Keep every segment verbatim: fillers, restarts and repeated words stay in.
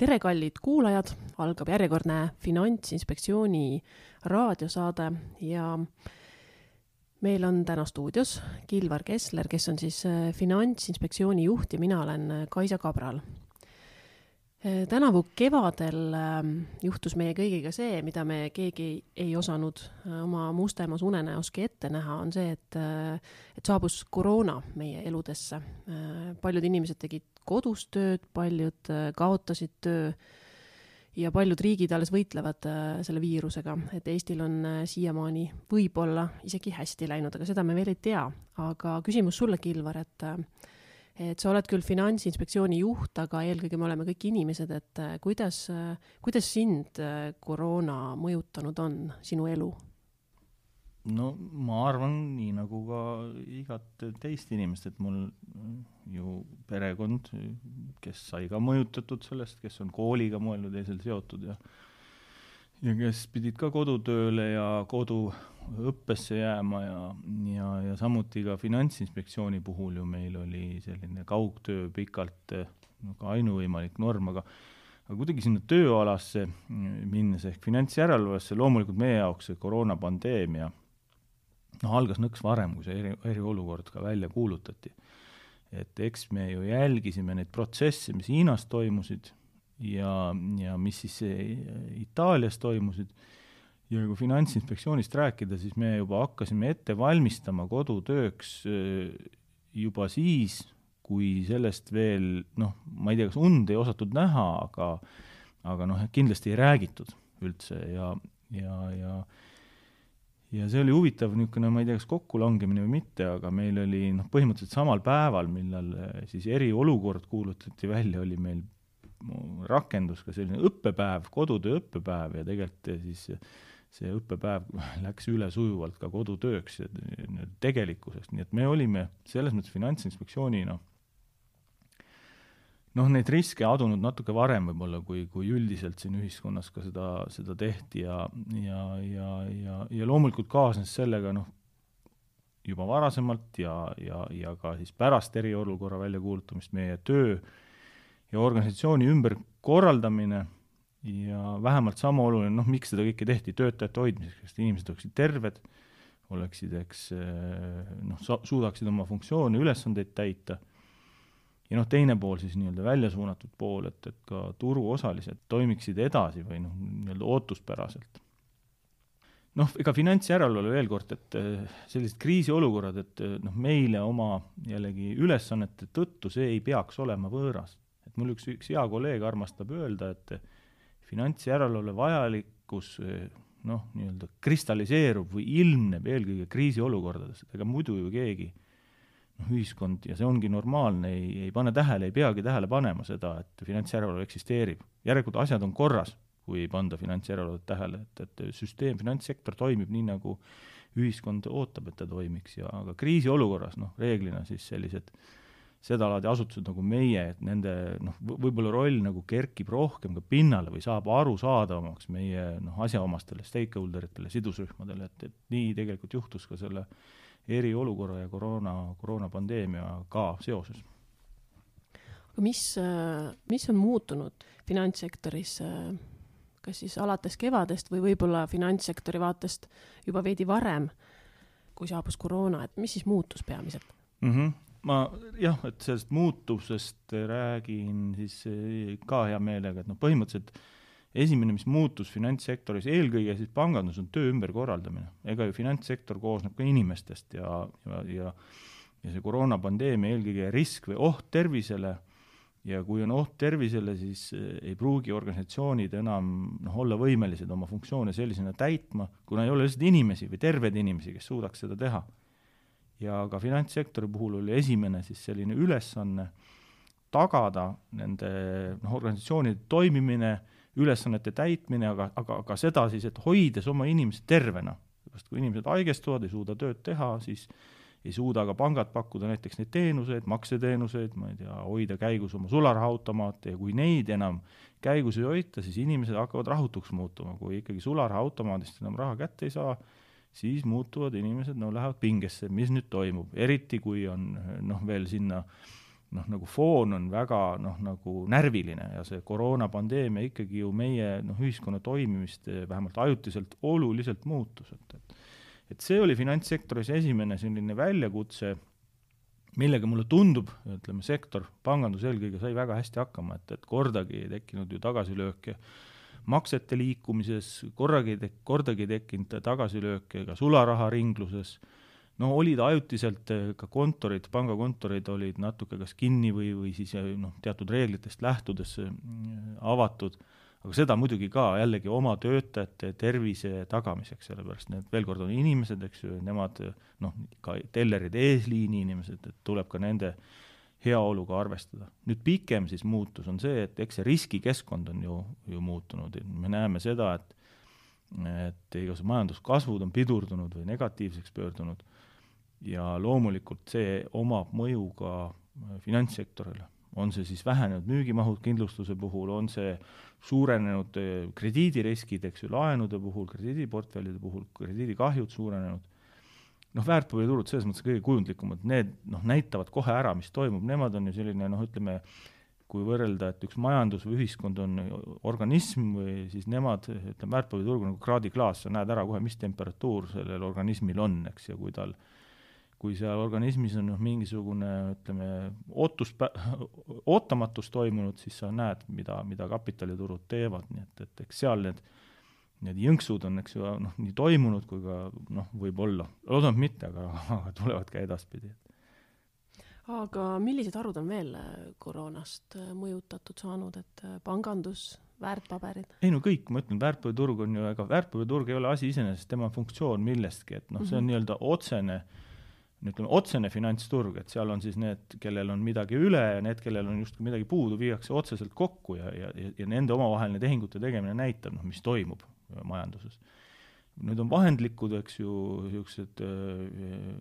tere, kallid kuulajad, algab järjekordne Finantsinspektsiooni raadiosaade ja meil on täna stuudios Kilvar Kessler, kes on siis Finantsinspektsiooni juht ja mina olen Kaisa Kabral. Tänavu kevadel juhtus meie kõigiga see, mida me keegi ei osanud oma mustemas unenäoski ette näha, on see, et, et saabus koroona meie eludesse. Paljud inimesed tegid kodus tööd, paljud kaotasid töö ja paljud riigid alles võitlevad selle viirusega, et Eestil on siiamaani võib-olla isegi hästi läinud, aga seda me veel ei tea. Aga küsimus sulle, Kilvar, et et sa oled küll Finantsinspektsiooni juht, aga eelkõige me oleme kõik inimesed, et kuidas, kuidas sind koroona mõjutanud on sinu elu? No ma arvan nii nagu ka igat teist inimest, et mul ju perekond, kes sai ka mõjutatud sellest, kes on kooliga mõelnud teisel seotud ja ja kes pidid ka kodutööle ja koduõppesse jääma ja, ja, ja samuti ka Finantsinspektsiooni puhul ju meil oli selline kaugtöö pikalt no, ka ainuvõimalik norm, aga, aga kuidagi sinna tööalasse minnes ehk finantsjärelevalvesse loomulikult meie jaoks see koroonapandeemia no, algas nõks varem, kui see eri, eriolukord ka välja kuulutati. Et eks me ju jälgisime neid protsesse, mis Hiinas toimusid, ja, ja mis siis Itaalias toimusid. Ja kui Finantsinspektsioonist rääkida, siis me juba hakkasime ette valmistama kodutööks juba siis, kui sellest veel, noh, ma ei tea, kas und ei osatud näha, aga, aga noh, kindlasti ei räägitud üldse ja, ja, ja, ja see oli huvitav niisugune, ma ei tea, kas kokkulangemine või mitte, aga meil oli noh, põhimõtteliselt samal päeval, millal siis eriolukord kuulutati välja, oli meil rakendus ka selline õppepäev, kodutöö õppepäev ja tegelikult siis see õppepäev läks üle sujuvalt ka kodutööks ja tegelikkuseks. Nii et me olime selles mõttes Finantsinspektsiooni noh, noh neid riske adunud natuke varem võib-olla, kui, kui üldiselt siin ühiskonnas ka seda, seda tehti ja, ja, ja, ja, ja loomulikult kaasnes sellega noh, juba varasemalt ja, ja, ja ka siis pärast eriolukorra väljakuulutamist meie töö ja organisatsiooni ümber korraldamine ja vähemalt sama oluline, noh, miks seda kõike tehti töötajate hoidmiseks, et inimesed oleksid terved, oleksid, eks, noh, suudaksid oma funktsioone, ülesandeid täita. Ja noh, teine pool siis nii-öelda välja suunatud pool, et, et ka turuosalised toimiksid edasi või noh, nii-öelda ootuspäraselt. Noh, ega finantsjärelevalve veel kord, et sellised kriisiolukorrad, et noh, meile oma jällegi ülesannete tõttu see ei peaks olema võõras. Et mul üks, üks hea kolleeg armastab öelda, et finantsjärelevalve vajalikkus noh, nii-öelda kristalliseerub või ilmneb eelkõige kriisiolukordades. Ega muidu ju keegi noh, ühiskond, ja see ongi normaalne, ei, ei pane tähele, ei peagi tähele panema seda, et finantsjärelevalve eksisteerib. Järelikult asjad on korras, kui ei panda finantsjärelevalvet tähele, et, et süsteem, finantssektor toimib nii, nagu ühiskond ootab, et ta toimiks. Ja aga kriisiolukorras noh, reeglina siis sellised seda laadi asutused nagu meie, et nende noh, võib-olla roll nagu kerkib rohkem ka pinnale või saab aru saadavamaks meie noh, asjaomastele, stakeholderitele, sidusrühmadele, et, et nii tegelikult juhtus ka selle eriolukorra ja koroona, koroonapandeemia ka seoses. Aga mis, mis on muutunud finantssektoris, kas siis alates kevadest või võib-olla finantssektori vaatest juba veidi varem, kui saabus koroona, et mis siis muutus peamiselt? Mhm. Ma jah, et sellest muutusest räägin siis ka hea meelega, et noh, põhimõtteliselt esimene, mis muutus finantssektoris, eelkõige siis pangandus on töö ümberkorraldamine. Ega ju finantssektor koosneb ka inimestest ja, ja, ja, ja see koroonapandeemia eelkõige risk või oht tervisele ja kui on oht tervisele, siis ei pruugi organisatsioonid enam noh, olla võimelised oma funktsioone sellisena täitma, kuna ei ole lihtsalt inimesi või terved inimesi, kes suudaks seda teha. Ja ka finantssektori puhul oli esimene siis selline ülesanne tagada nende noh, organisatsioonide toimimine, ülesannete täitmine, aga, aga, aga seda siis, et hoides oma inimesed tervena. Sest kui inimesed haigestuvad, ei suuda tööd teha, siis ei suuda ka pangad pakkuda näiteks neid teenuseid, makseteenuseid, ma ei tea, hoida käigus oma sularahautomaate ja kui neid enam käigus ei hoita, siis inimesed hakkavad rahutuks muutuma. Kui ikkagi sularahautomaadist enam raha kätte ei saa, siis muutuvad inimesed, no lähevad pingesse, mis nüüd toimub. Eriti kui on noh, veel sinna noh, nagu foon on väga noh, nagu närviline ja see koroonapandeemia ikkagi ju meie noh, ühiskonna toimimist vähemalt ajutiselt oluliselt muutus. Et, et, et see oli finantssektoris esimene selline väljakutse, millega mulle tundub, ütleme, sektor, pangandus eelkõige sai väga hästi hakkama, et, et kordagi ei tekkinud ju tagasilööke maksete liikumises, korragi, kordagi tekkinud tagasilööke ka sularaha ringluses. No olid ajutiselt ka kontorid, pangakontorid olid natuke kas kinni või, või siis noh, teatud reeglitest lähtudes avatud, aga seda muidugi ka jällegi oma töötajate tervise tagamiseks, sellepärast need veel kord on inimesed, eks ju, nemad noh, ka tellerid, eesliini inimesed, et tuleb ka nende heaoluga arvestada. Nüüd pikem siis muutus on see, et eks see riskikeskkond on ju, ju muutunud. Me näeme seda, et, et igas majanduskasvud on pidurdunud või negatiivseks pöördunud ja loomulikult see omab mõju ka finantssektorile. On see siis vähenenud müügimahud kindlustuse puhul, on see suurenenud krediidiriskid, eks ju, laenude puhul, krediidiportfellide puhul, krediidikahjud suurenenud. Noh, väärtpaberiturud selles mõttes kõige kujundlikumad, need noh, näitavad kohe ära, mis toimub, nemad on ju selline, noh, ütleme, kui võrrelda, et üks majandus või ühiskond on organism või siis nemad, ütleme, väärtpaberiturg on nagu kraadiklaas, sa näed ära kohe, mis temperatuur sellel organismil on, eks, ja kui tal kui seal organismis on noh, mingisugune, ütleme, ootus, ootamatus toimunud, siis sa näed, mida, mida kapitaliturud teevad, nii et, et eks seal need Need jõnksud on, eks ju, noh, nii toimunud kui ka, noh, võib olla. Loodame mitte, aga, aga tulevad ka edaspidi. Aga millised arvud on veel koroonast mõjutatud saanud, et pangandus, väärtpaberid? Ei no kõik, ma ütlen, väärtpaberiturg on ju, ega väärtpaberiturg ei ole asi iseenesest, tema funktsioon millestki, et noh, see on mm-hmm. nii-öelda otsene, ütleme, otsene finantsturg, et seal on siis need, kellel on midagi üle ja need, kellel on justkui midagi puudu, viiakse otseselt kokku ja, ja, ja nende omavaheline tehingute tegemine näitab, noh, mis toimub majanduses. Nüüd on vahendlikud, eks ju, niisugused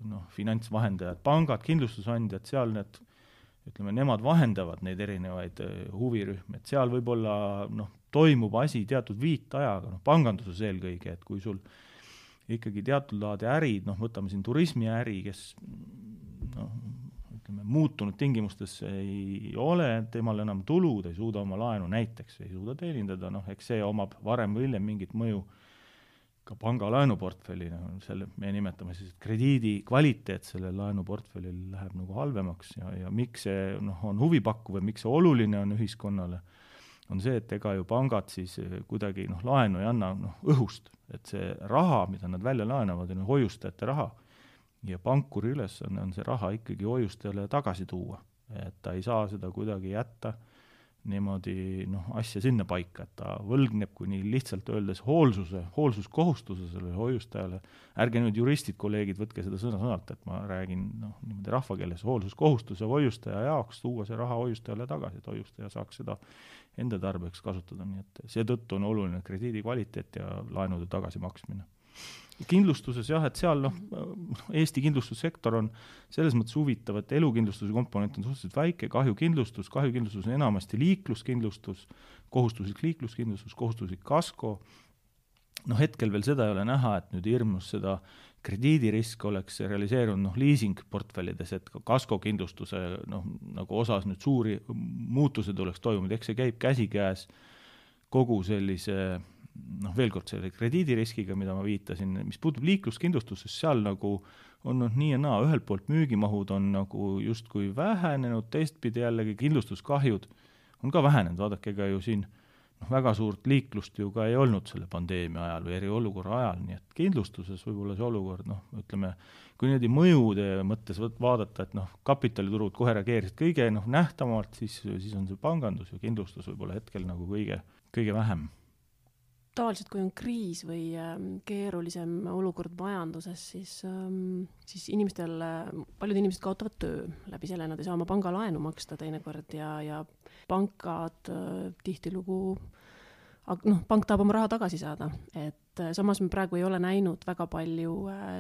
noh, finantsvahendajad, pangad, kindlustusandjad, seal need, ütleme, nemad vahendavad neid erinevaid huvirühmi, et seal võib-olla noh, toimub asi teatud viitajaga, noh, panganduses eelkõige, et kui sul ikkagi teatud laadi ärid, noh, võtame siin turismiäri, kes noh, ütleme, muutunud tingimustes ei ole, temal enam tulud, ei suuda oma laenu näiteks, ei suuda teenindada, noh, eks see omab varem või hiljem mingit mõju ka panga laenuportfellina, selle me nimetame siis, et krediidi kvaliteet selle laenuportfellil läheb nagu halvemaks ja, ja miks see noh, on huvipakkuv ja miks see oluline on ühiskonnale, on see, et ega ju pangad siis kuidagi noh, laenu ei anna noh, õhust, et see raha, mida nad välja laenavad, on hoiustajate raha ja pankuri ülesanne on see raha ikkagi hoiustajale tagasi tuua, et ta ei saa seda kuidagi jätta niimoodi noh, asja sinna paika, et ta võlgneb, kui nii lihtsalt öeldes hoolsuse, hoolsuskohustuse sellele hoiustajale. Ärge nüüd juristid, kolleegid, võtke seda sõna sõnalt, et ma räägin noh, niimoodi rahvakeeles hoolsuskohustuse hoiustaja jaoks tuua see raha hoiustajale tagasi, et hoiustaja saaks seda enda tarbeks kasutada, nii et seetõttu on oluline krediidi kvaliteet ja laenude tagasimaksmine. Kindlustuses jah, et seal noh, Eesti kindlustussektor on selles mõttes huvitav, et elukindlustuse komponent on suhteliselt väike, kahjukindlustus, kahjukindlustus on enamasti liikluskindlustus, kohustuslik liikluskindlustus, kohustuslik kasko. noh, hetkel veel seda ei ole näha, et nüüd hirmus seda krediidirisk oleks realiseerunud noh, leasing-portfellides, et ka kaskokindlustuse noh, nagu osas nüüd suuri muutused oleks toimunud, eks see käib käsikäes kogu sellise noh, veel kord selle krediidiriskiga, mida ma viitasin, mis puutub liikluskindlustuses, seal nagu on noh, nii ja naa, ühelt poolt müügimahud on nagu justkui vähenenud, teistpidi jällegi kindlustuskahjud on ka vähenenud, vaadake ega ju siin noh, väga suurt liiklust ju ka ei olnud selle pandeemia ajal või eriolukorra ajal, nii et kindlustuses võib-olla see olukord, noh, ütleme, kui niimoodi mõjude mõttes vaadata, et noh, kapitaliturud kohe reageerisid kõige noh, nähtavamalt, siis, siis on see pangandus ja kindlustus võib-olla hetkel nagu kõige, kõige vähem. Tavaliselt, kui on kriis või ähm, keerulisem olukord majanduses, siis, ähm, siis inimestel, paljud inimesed kaotavad töö. Läbi selle nad ei saa oma pangalaenu maksta teinekord ja, ja pankad äh, tihtilugu aga noh, pank tahab oma raha tagasi saada, et samas me praegu ei ole näinud väga palju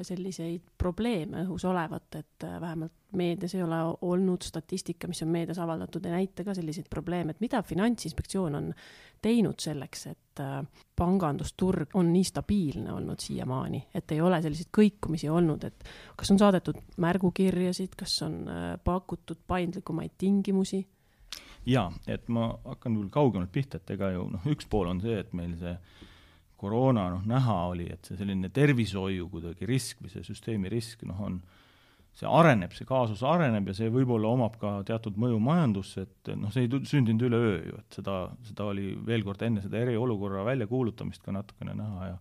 selliseid probleeme õhus olevat, et vähemalt meedias ei ole olnud statistika, mis on meedias avaldatud, ei näita ka selliseid probleeme, et mida Finantsinspektsioon on teinud selleks, et pangandusturg on nii stabiilne olnud siiamaani, et ei ole selliseid kõikumisi olnud, et kas on saadetud märgukirjasid, kas on pakutud paindlikumaid tingimusi? Jaa, et ma hakkan küll kaugemalt pihta, et ega ju noh, üks pool on see, et meil see koroona noh, näha oli, et see selline tervishoiu kuidagi risk või see süsteemi risk noh, on, see areneb, see kaasus areneb ja see võib-olla omab ka teatud mõju majandusse, et noh, see ei sündinud üle öö ju, et seda, seda oli veel kord enne seda eriolukorra väljakuulutamist ka natukene näha ja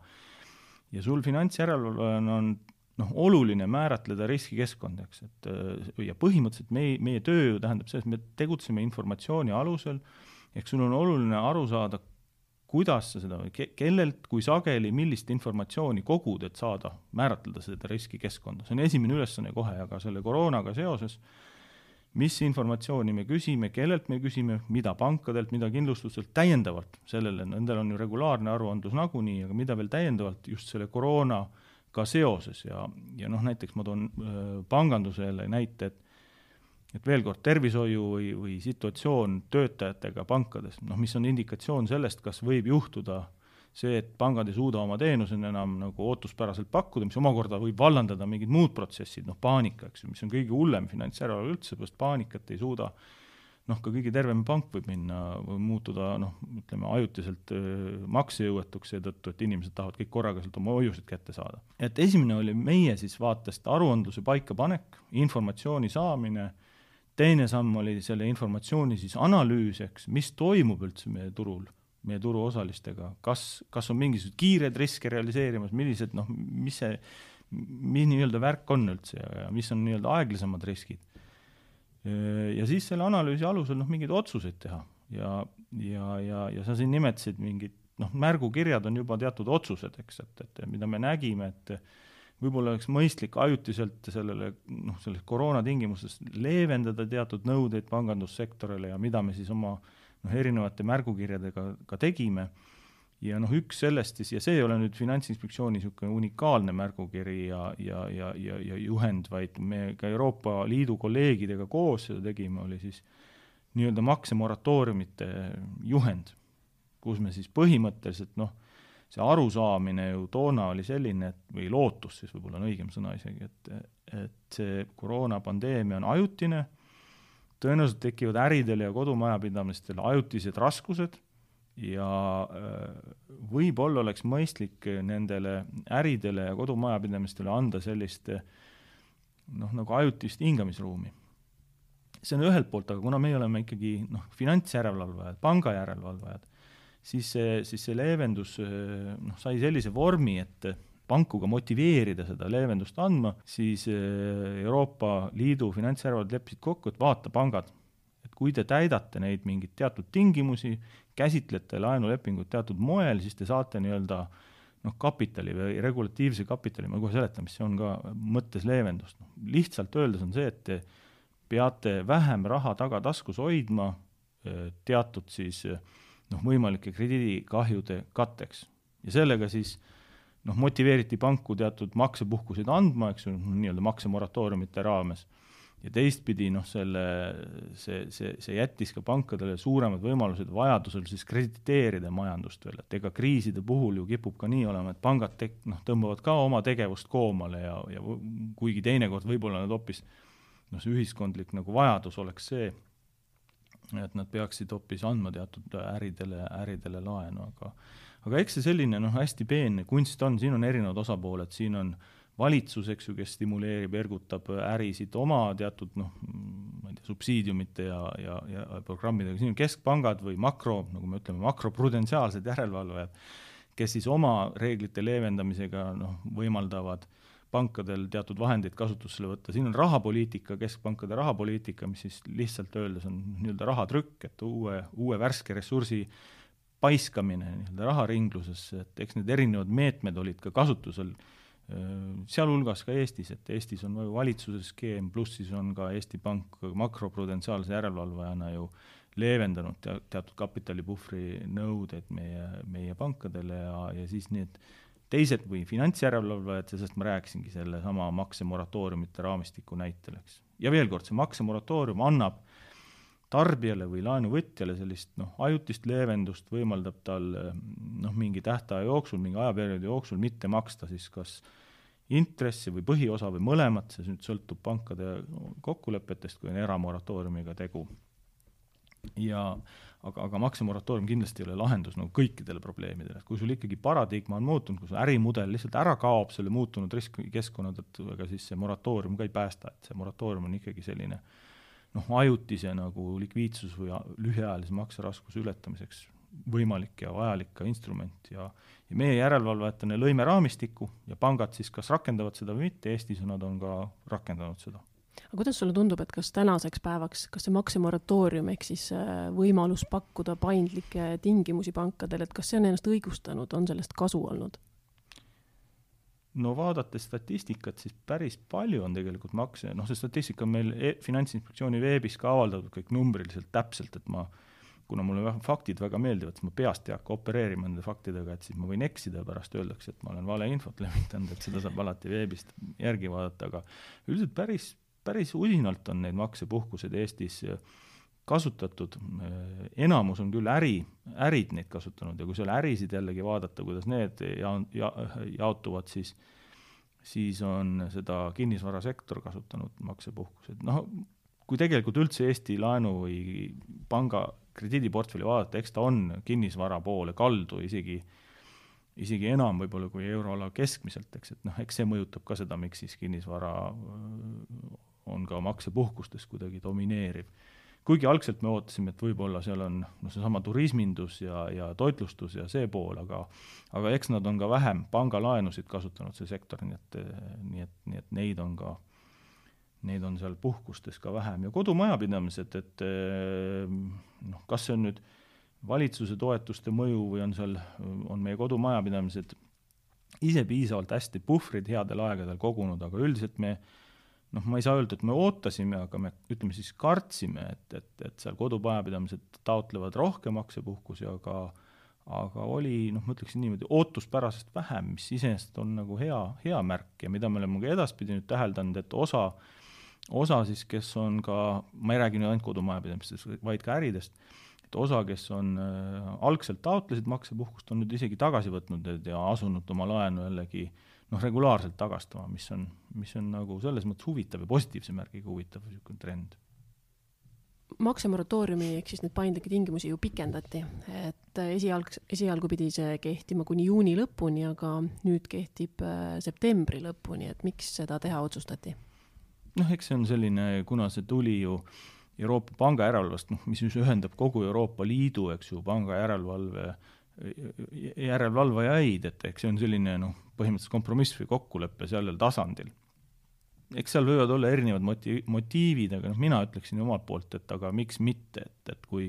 ja sul finantsjärelevalvajana on noh, oluline määratleda riskikeskkondaks, et ja põhimõtteliselt meie, meie töö ju tähendab see, et me tegutseme informatsiooni alusel, ehk sul on oluline aru saada, kuidas sa seda, kellelt, kui sageli, millist informatsiooni kogud, et saada määratleda seda riskikeskkonda. See on esimene ülesanne kohe, aga selle koroonaga seoses, mis informatsiooni me küsime, kellelt me küsime, mida pankadelt, mida kindlustustelt täiendavalt, sellele, nendel on ju regulaarne aruandlus nagunii, aga mida veel täiendavalt just selle koroona ka seoses ja, ja noh, näiteks ma toon äh, pangandusele näite, et, et veel kord tervishoiu või, või situatsioon töötajatega pankades, noh, mis on indikatsioon sellest, kas võib juhtuda see, et pangad ei suuda oma teenusena enam nagu ootuspäraselt pakkuda, mis omakorda võib vallandada mingid muud protsessid, noh, paanika, eks ju, mis on kõige hullem finantsjärelevalve üldse, sest paanikat ei suuda noh, ka kõige tervem pank võib minna või muutuda, noh, ütleme, ajutiselt maksejõuetuks seetõttu, et inimesed tahavad kõik korraga sealt oma hoiused kätte saada. Et esimene oli meie siis vaatest aruandluse paikapanek, informatsiooni saamine, teine samm oli selle informatsiooni siis analüüs, eks, mis toimub üldse meie turul, meie turuosalistega, kas, kas on mingisugused kiired riske realiseerimas, millised, noh, mis see, mis nii-öelda värk on üldse ja, ja mis on nii-öelda aeglasemad riskid. Ja siis selle analüüsi alusel noh, mingeid otsuseid teha ja, ja, ja, ja sa siin nimetasid mingid, noh, märgukirjad on juba teatud otsused, eks, et, et mida me nägime, et võib-olla oleks mõistlik ajutiselt sellele, noh, selles koroona tingimustes leevendada teatud nõudeid pangandussektorile ja mida me siis oma noh, erinevate märgukirjadega ka tegime. Ja noh, üks sellest siis, ja see ei ole nüüd Finantsinspektsiooni niisugune unikaalne märgukiri ja, ja, ja, ja, ja juhend, vaid me ka Euroopa Liidu kolleegidega koos seda tegime, oli siis nii-öelda maksemoratooriumite juhend, kus me siis põhimõtteliselt, noh, see arusaamine ju toona oli selline, et, või lootus siis võib-olla on õigem sõna isegi, et, et see koroonapandeemia on ajutine, tõenäoliselt tekivad äridel ja kodumajapidamistel ajutised raskused, ja võib-olla oleks mõistlik nendele äridele ja kodumajapidamistele anda sellist noh, nagu ajutist hingamisruumi. See on ühelt poolt, aga kuna me oleme ikkagi noh, finantsjärelevalvajad, pangajärelevalvajad, siis see, siis see leevendus noh, sai sellise vormi, et pankuga motiveerida seda leevendust andma, siis Euroopa Liidu finantsjärelevalvajad leppisid kokku, et vaata pangad, et kui te täidate neid mingid teatud tingimusi, käsitlete laenulepingut teatud moel, siis te saate nii-öelda noh, kapitali või regulatiivse kapitali, ma kohe seletan, mis see on ka mõttes leevendust. No, lihtsalt öeldes on see, et te peate vähem raha taga taskus hoidma teatud siis noh, võimalike krediidikahjude katteks. Ja sellega siis noh, motiveeriti panku teatud maksepuhkuseid andma, eks ju, nii-öelda maksemoratooriumite raames. Ja teistpidi noh, selle, see, see, see jättis ka pankadele suuremad võimalused vajadusel siis krediteerida majandust veel, et ega kriiside puhul ju kipub ka nii olema, et pangad te, noh, tõmbavad ka oma tegevust koomale ja, ja kuigi teinekord võib-olla nad hoopis noh, see ühiskondlik nagu vajadus oleks see, et nad peaksid hoopis andma teatud äridele, äridele laenu, aga, aga eks see selline noh, hästi peenne kunst on, siin on erinevad osapooled, siin on valitsus, eks ju, kes stimuleerib, ergutab ärisid oma teatud noh, ma ei tea, subsiidiumite ja, ja, ja programmidega. Siin on keskpangad või makro, nagu me ütleme, makroprudentsiaalsed järelevalvajad, kes siis oma reeglite leevendamisega noh, võimaldavad pankadel teatud vahendeid kasutusele võtta. Siin on rahapoliitika, keskpankade rahapoliitika, mis siis lihtsalt öeldes on nii-öelda rahatrükk, et uue, uue värske ressursi paiskamine nii-öelda raharinglusesse, et eks need erinevad meetmed olid ka kasutusel sealhulgas ka Eestis, et Eestis on valitsuse skeem, pluss siis on ka Eesti Pank makroprudentsiaalse järelevalvajana ju leevendanud te- teatud kapitalipuhvri nõudeid meie, meie pankadele ja, ja siis need teised või finantsjärelevalvajad, sellest ma rääkisingi selle sama maksemoratooriumite raamistiku näitel, eks. Ja veel kord, see maksemoratoorium annab tarbijale või laenuvõtjale sellist noh, ajutist leevendust, võimaldab tal noh, mingi tähtaja jooksul, mingi ajaperioodi jooksul mitte maksta siis kas intressi või põhiosa või mõlemat, see nüüd sõltub pankade kokkulepetest, kui on eramoratooriumiga tegu. Ja, aga, aga maksemoratoorium kindlasti ei ole lahendus nagu kõikidele probleemidele. Kui sul ikkagi paradigma on muutunud, kui sul ärimudel lihtsalt ära kaob selle muutunud riskikeskkonna tõttu, aga siis see moratoorium ka ei päästa, et see moratoorium on ikkagi selline noh, ajutise nagu likviidsus või lühiajalise makseraskuse ületamiseks võimalik ja vajalik ka instrument ja, ja meie järelevalvajatena lõime raamistiku ja pangad siis kas rakendavad seda või mitte, Eestis nad on ka rakendanud seda. Aga kuidas sulle tundub, et kas tänaseks päevaks, kas see maksemoratoorium ehk siis võimalus pakkuda paindlikke tingimusi pankadele, et kas see on ennast õigustanud, on sellest kasu olnud? No vaadates statistikat, siis päris palju on tegelikult makse, noh see statistika on meil e- Finantsinspektsiooni veebis ka avaldatud kõik numbriliselt täpselt, et ma, kuna mulle faktid väga meeldivad, siis ma peast ei hakka opereerima nende faktidega, et siis ma võin eksida ja pärast öeldakse, et ma olen vale infot levitanud, et seda saab alati veebist järgi vaadata, aga üldiselt päris, päris usinalt on neid maksepuhkused Eestis kasutatud, enamus on küll äri, ärid neid kasutanud ja kui seal ärisid jällegi vaadata, kuidas need ja, ja, jaotuvad, siis, siis on seda kinnisvarasektor kasutanud maksepuhkused. Noh, kui tegelikult üldse Eesti laenu või panga krediidiportfelli vaadata, eks ta on kinnisvara poole kaldu isegi, isegi enam võib-olla kui euroala keskmiselt, eks, et noh, eks see mõjutab ka seda, miks siis kinnisvara on ka maksepuhkustes kuidagi domineeriv. Kuigi algselt me ootasime, et võib-olla seal on no, seesama turismindus ja, ja toitlustus ja see pool, aga, aga eks nad on ka vähem pangalaenusid kasutanud see sektor, nii et, nii et, nii et neid on ka, neid on seal puhkustes ka vähem. Ja kodumajapidamised, et noh, kas see on nüüd valitsuse toetuste mõju või on seal, on meie kodumajapidamised ise piisavalt hästi puhvrid headel aegadel kogunud, aga üldiselt me noh, ma ei saa öelda, et me ootasime, aga me ütleme siis kartsime, et, et, et seal kodupajapidamised taotlevad rohkem maksepuhkusi, aga, aga oli, noh, ma ütleksin niimoodi, ootuspärasest vähem, mis iseenesest on nagu hea, hea märk ja mida me oleme ka edaspidi nüüd täheldanud, et osa, osa siis, kes on ka, ma ei räägi nüüd ainult kodumajapidamistest, vaid ka äridest, et osa, kes on äh, algselt taotlesid maksepuhkust, on nüüd isegi tagasi võtnud ja asunud oma laenu jällegi noh, regulaarselt tagastama, mis on, mis on nagu selles mõttes huvitav ja positiivse märgiga huvitav trend. Maksemoratooriumi ehk siis need paindlikke tingimusi ju pikendati, et esialg, esialgu pidi see kehtima kuni juuni lõpuni, aga nüüd kehtib septembri lõpuni, et miks seda teha otsustati? Noh, eks see on selline, kuna see tuli ju Euroopa panga järelevalvest, noh, mis ühendab kogu Euroopa Liidu, eks ju, panga järelevalve järelevalvajaid, et eks see on selline noh, põhimõtteliselt kompromiss või kokkuleppe sellel tasandil. Eks seal võivad olla erinevad moti- motiivid, aga noh, mina ütleksin omalt poolt, et aga miks mitte, et, et kui,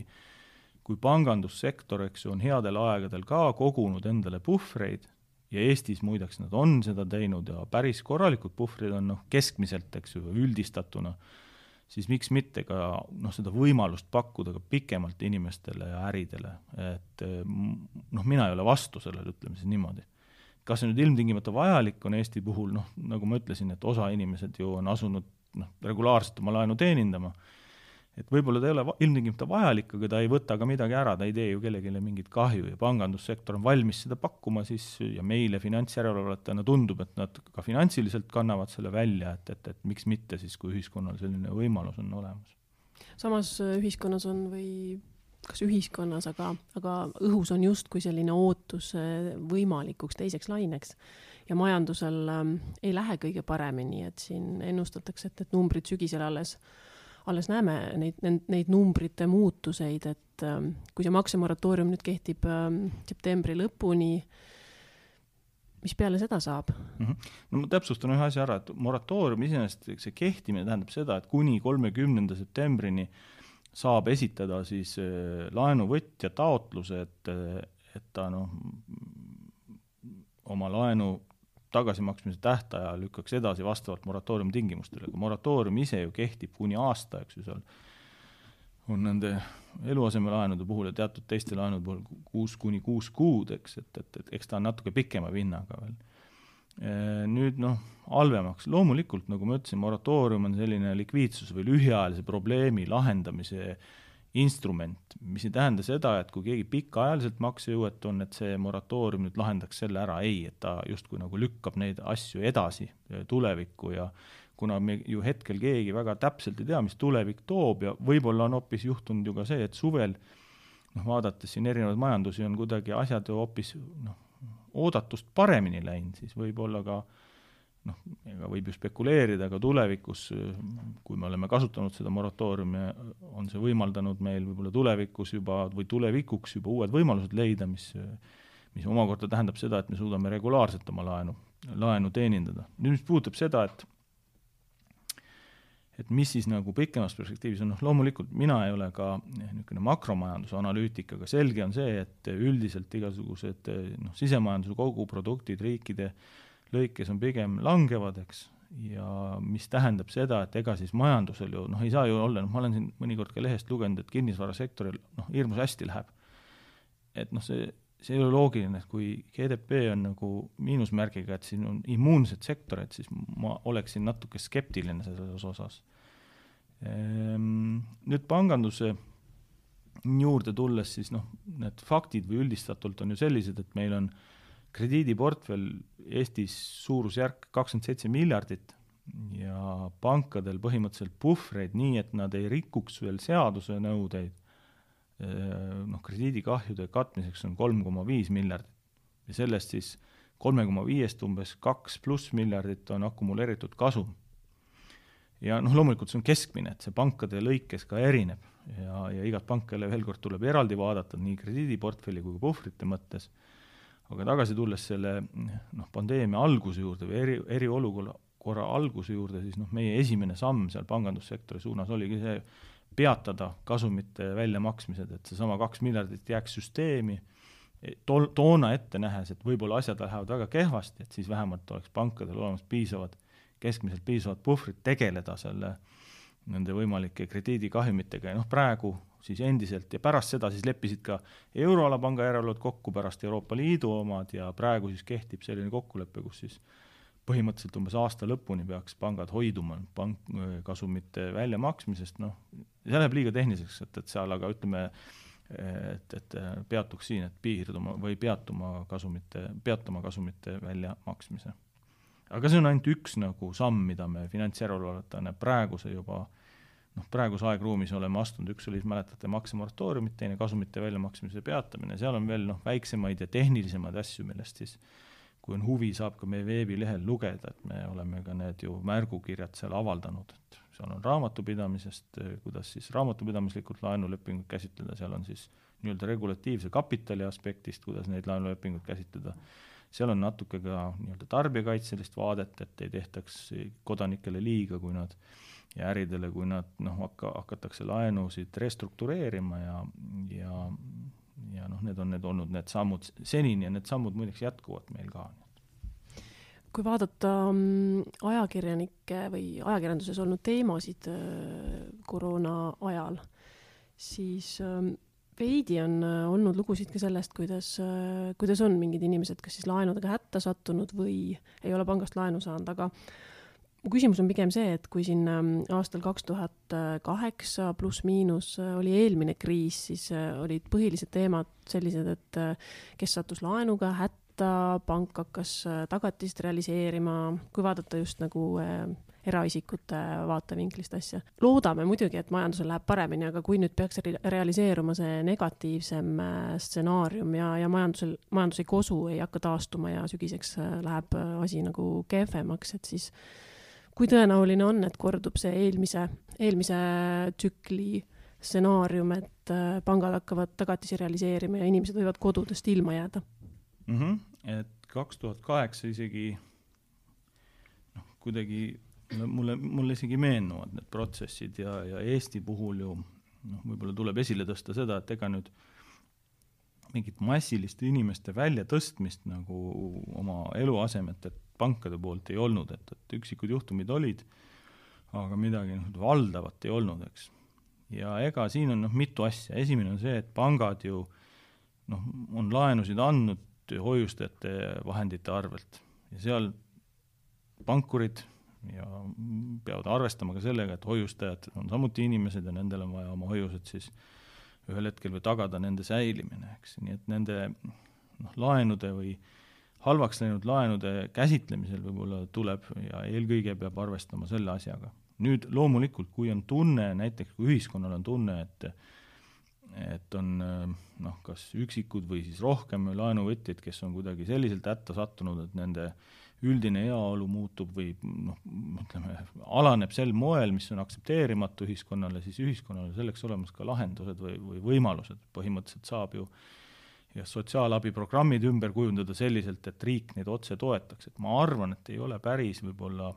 kui pangandussektor, eks ju, on headel aegadel ka kogunud endale puhvreid ja Eestis muideks nad on seda teinud ja päris korralikud puhvrid on noh, keskmiselt, eks ju, üldistatuna, siis miks mitte ka noh, seda võimalust pakkuda ka pikemalt inimestele ja äridele, et noh, mina ei ole vastu sellele, ütleme siis niimoodi. Kas see nüüd ilmtingimata vajalik on Eesti puhul, noh, nagu ma ütlesin, et osa inimesed ju on asunud noh, regulaarselt oma laenu teenindama, et võib-olla ta ei ole ilmtingimata vajalik, aga ta ei võta ka midagi ära, ta ei tee ju kellegile mingit kahju ja pangandussektor on valmis seda pakkuma siis ja meile finantsjärelevalvajatena tundub, et nad ka finantsiliselt kannavad selle välja, et, et, et miks mitte siis, kui ühiskonnal selline võimalus on olemas. Samas ühiskonnas on või kas ühiskonnas, aga, aga õhus on just kui selline ootus võimalikuks teiseks laineks ja majandusel ähm, ei lähe kõige paremini, et siin ennustatakse, et, et numbrid sügisel alles alles näeme neid, neid numbrite muutuseid, et ähm, kui see maksemoratoorium nüüd kehtib ähm, septembri lõpuni, mis peale seda saab? Mm-hmm. No ma täpsustan ühe asja ära, et moratoorium iseenesest see kehtimine tähendab seda, et kuni kolmekümnenda septembrini saab esitada siis äh, laenuvõtja taotluse, et, et ta noh, oma laenu tagasimaksmise tähtaja lükkaks edasi vastavalt moratooriumi tingimustele. Moratoorium ise ju kehtib kuni aasta, eks ju seal on nende eluasemelaenude puhul ja teatud teiste laenude puhul kuus kuni kuus kuud, eks, et, et, et eks ta on natuke pikema vinnaga veel. Nüüd noh, halvemaks. Loomulikult, nagu ma ütlesin, moratoorium on selline likviidsus või lühiajalise probleemi lahendamise instrument, mis ei tähenda seda, et kui keegi pikaajaliselt maksejõuetu on, et see moratoorium nüüd lahendaks selle ära, ei, et ta justkui nagu lükkab neid asju edasi tulevikku ja kuna me ju hetkel keegi väga täpselt ei tea, mis tulevik toob ja võib-olla on hoopis juhtunud ju ka see, et suvel noh, vaadates siin erinevaid majandusi on kuidagi asjad ju hoopis noh, oodatust paremini läinud, siis võib-olla ka noh, ega võib ju spekuleerida, aga tulevikus, kui me oleme kasutanud seda moratooriumi, on see võimaldanud meil võib-olla tulevikus juba või tulevikuks juba uued võimalused leida, mis, mis omakorda tähendab seda, et me suudame regulaarselt oma laenu, laenu teenindada. Nüüd mis puudutab seda, et et mis siis nagu pikemas perspektiivis on, noh loomulikult mina ei ole ka niisugune makromajanduse analüütik, aga selge on see, et üldiselt igasugused noh, sisemajanduse koguproduktid riikide lõikes on pigem langevad, eks, ja mis tähendab seda, et ega siis majandusel ju, noh ei saa ju olla, noh ma olen siin mõnikord ka lehest lugenud, et kinnisvarasektoril noh, hirmus hästi läheb. Et noh, see, see ei ole loogiline, et kui G D P on nagu miinusmärgiga, et siin on immuunsed sektorid, siis ma oleksin natuke skeptiline selles osas. Nüüd panganduse juurde tulles, siis noh, need faktid või üldistatult on ju sellised, et meil on krediidiportfell Eestis suurusjärk kakskümmend seitse miljardit ja pankadel põhimõtteliselt puhvreid nii, et nad ei rikuks veel seaduse nõudeid. Noh, krediidikahjude katmiseks on kolm koma viis miljardit ja sellest siis kolm koma viis umbes kaks pluss miljardit on akumuleeritud kasum. Ja noh, loomulikult see on keskmine, et see pankade lõikes ka erineb ja, ja igat pankale veel kord tuleb eraldi vaadata nii krediidiportfelli kui puhvrite mõttes. Aga tagasi tulles selle noh, pandeemia alguse juurde või eri, eriolukorra alguse juurde, siis noh, meie esimene samm seal pangandussektori suunas oligi see peatada kasumite väljamaksmised, et see sama kaks miljardit jääks süsteemi to, toona ette nähes, et võib-olla asjad lähevad väga kehvasti, et siis vähemalt oleks pankadel olemas piisavad, keskmiselt piisavad puhvrid tegeleda selle nende võimalike krediidikahjumitega ja noh, praegu siis endiselt ja pärast seda siis leppisid ka euroala panga järelevalved kokku pärast Euroopa Liidu omad ja praegu siis kehtib selline kokkulepe, kus siis põhimõtteliselt umbes aasta lõpuni peaks pangad hoiduma pank, kasumite väljamaksmisest, noh, see läheb liiga tehniliseks, et, et seal aga ütleme, et, et peatuks siin, et piirduma või peatuma kasumite, peatuma kasumite väljamaksmise. Aga see on ainult üks nagu samm, mida me finantsjärelevalvajatena praeguse juba noh, praeguse aegruumis oleme astunud, üks oli, mäletate, maksemoratooriumid, teine kasumite väljamaksmise peatamine, seal on veel noh, väiksemaid ja tehnilisemaid asju, millest siis, kui on huvi, saab ka meie veebilehel lugeda, et me oleme ka need ju märgukirjad seal avaldanud, et seal on raamatupidamisest, kuidas siis raamatupidamislikult laenulepingut käsitleda, seal on siis nii-öelda regulatiivse kapitali aspektist, kuidas neid laenulepingut käsitleda, seal on natuke ka nii-öelda tarbijakaitselist vaadet, et ei tehtaks kodanikele liiga, kui nad ja äridele, kui nad noh, hakka, hakatakse laenusid restruktureerima ja, ja, ja noh, need on need olnud need sammud senini ja need sammud muideks jätkuvad meil ka. Kui vaadata ajakirjanike või ajakirjanduses olnud teemasid koroona ajal, siis veidi on olnud lugusid ka sellest, kuidas, kuidas on mingid inimesed, kas siis laenudega hätta sattunud või ei ole pangast laenu saanud, aga mu küsimus on pigem see, et kui siin aastal kaks tuhat kaheksa pluss miinus oli eelmine kriis, siis olid põhilised teemad sellised, et kes sattus laenuga hätta, pank hakkas tagatist realiseerima, kui vaadata just nagu eraisikute vaatevinklist asja. Loodame muidugi, et majandusel läheb paremini, aga kui nüüd peaks realiseeruma see negatiivsem stsenaarium ja, ja majandusel, majandus ei kosu, ei hakka taastuma ja sügiseks läheb asi nagu kehvemaks, et siis kui tõenäoline on, et kordub see eelmise, eelmise tsükli stsenaarium, et pangad hakkavad tagatisi realiseerima ja inimesed võivad kodudest ilma jääda? Mm-hmm. Et kaks tuhat kaheksa isegi noh, kuidagi mulle, mulle isegi meenuvad need protsessid ja, ja Eesti puhul ju noh, võib-olla tuleb esile tõsta seda, et ega nüüd mingit massilist inimeste välja tõstmist nagu oma eluasemet, et pankade poolt ei olnud, et, et üksikud juhtumid olid, aga midagi noh, valdavat ei olnud, eks. ja ega siin on noh, mitu asja. Esimene on see, et pangad ju noh, on laenusid andnud hoiustajate vahendite arvelt ja seal pankurid ja peavad arvestama ka sellega, et hoiustajad on samuti inimesed ja nendel on vaja oma hoiused siis ühel hetkel või tagada nende säilimine, eks. Nii et nende noh, laenude või halvaks läinud laenude käsitlemisel võib-olla tuleb ja eelkõige peab arvestama selle asjaga. Nüüd loomulikult, kui on tunne, näiteks kui ühiskonnal on tunne, et, et on noh, kas üksikud või siis rohkem laenuvõtjaid, kes on kuidagi selliselt hätta sattunud, et nende üldine heaolu muutub või noh, ütleme, alaneb sel moel, mis on aktsepteerimatu ühiskonnale, siis ühiskonnale selleks olemas ka lahendused või, või võimalused. Põhimõtteliselt saab ju ja sotsiaalabiprogrammid ümber kujundada selliselt, et riik neid otse toetaks. Et ma arvan, et ei ole päris võib-olla,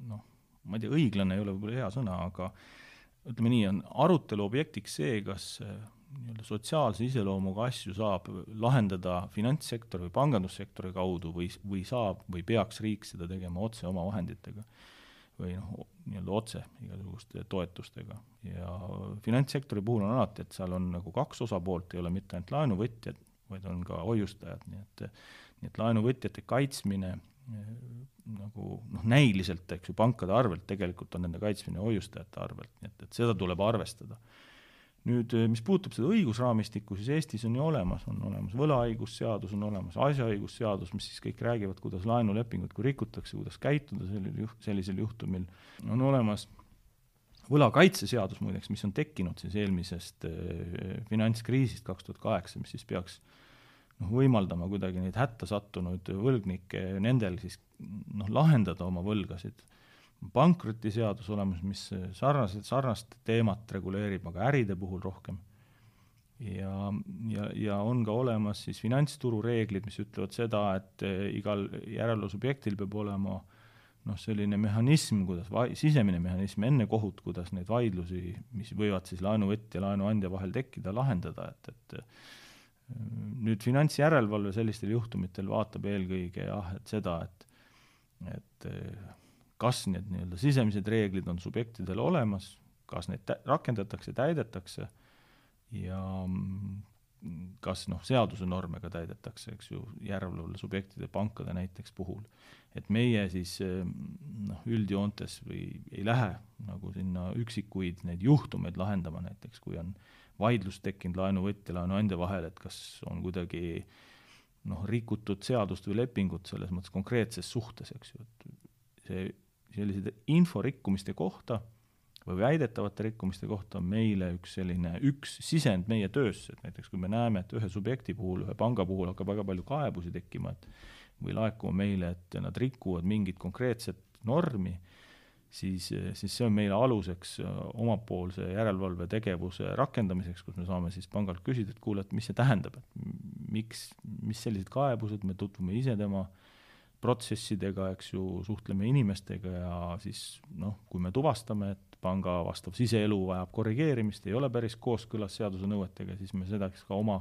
noh, ma ei tea, õiglane ei ole võib-olla hea sõna, aga ütleme nii, on arutelu objektiks see, kas nii-öelda sotsiaalse iseloomuga asju saab lahendada finantssektori või pangandussektori kaudu või, või saab või peaks riik seda tegema otse oma vahenditega või noh, nii-öelda otse igasuguste toetustega. Ja finantssektori puhul on alati, et seal on nagu kaks osapoolt, ei ole mitte ainult laenuvõtjad, vaid on ka hoiustajad, nii et, nii et laenuvõtjate kaitsmine nagu noh, näiliselt, eks ju, pankade arvelt tegelikult on nende kaitsmine hoiustajate arvelt, nii et, et seda tuleb arvestada. Nüüd, mis puutub seda õigusraamistikku, siis Eestis on ju olemas, on olemas võlaõigusseadus, on olemas asjaõigusseadus, mis siis kõik räägivad, kuidas laenulepingut kui rikutakse, kuidas käituda sellisel, juht, sellisel juhtumil. On olemas võlakaitseseadus muideks, mis on tekkinud siis eelmisest eh, finantskriisist kaks tuhat kaheksa, mis siis peaks noh, võimaldama kuidagi neid hätta sattunud võlgnikke nendel siis noh, lahendada oma võlgasid. Pankrotiseadus olemas, mis sarnased, sarnast teemat reguleerib, aga äride puhul rohkem. Ja, ja, ja on ka olemas siis finantsturu reeglid, mis ütlevad seda, et igal järelevalvesubjektil peab olema noh, selline mehhanism, kuidas va- sisemine mehhanism enne kohut, kuidas neid vaidlusi, mis võivad siis laenuvõtja ja laenuandja vahel tekkida, lahendada, et, et nüüd finantsjärelevalve sellistel juhtumitel vaatab eelkõige jah, et seda, et, et kas need nii-öelda sisemised reeglid on subjektidel olemas, kas neid tä- rakendatakse, täidetakse ja kas noh, seaduse norme ka täidetakse, eks ju, järelevalve subjektide pankade näiteks puhul. Et meie siis noh, üldjoontes või ei lähe nagu sinna üksikuid neid juhtumeid lahendama näiteks, kui on vaidlus tekkinud laenuvõtja laenuandja vahel, et kas on kuidagi noh, rikutud seadust või lepingut selles mõttes konkreetses suhtes, eks ju, et see sellised inforikkumiste kohta või väidetavate rikkumiste kohta on meile üks selline, üks sisend meie töösse, et näiteks kui me näeme, et ühe subjekti puhul, ühe panga puhul hakkab väga palju kaebusi tekkima, et või laekuma meile, et nad rikuvad mingit konkreetset normi, siis, siis see on meile aluseks omapoolse järelevalve tegevuse rakendamiseks, kus me saame siis pangalt küsida, et kuule, et mis see tähendab, et miks, mis sellised kaebused, me tutvume ise tema protsessidega, eks ju, suhtleme inimestega ja siis noh, kui me tuvastame, et panga vastav siseelu vajab korrigeerimist, ei ole päris kooskõlas seaduse nõuetega, siis me seda ka oma,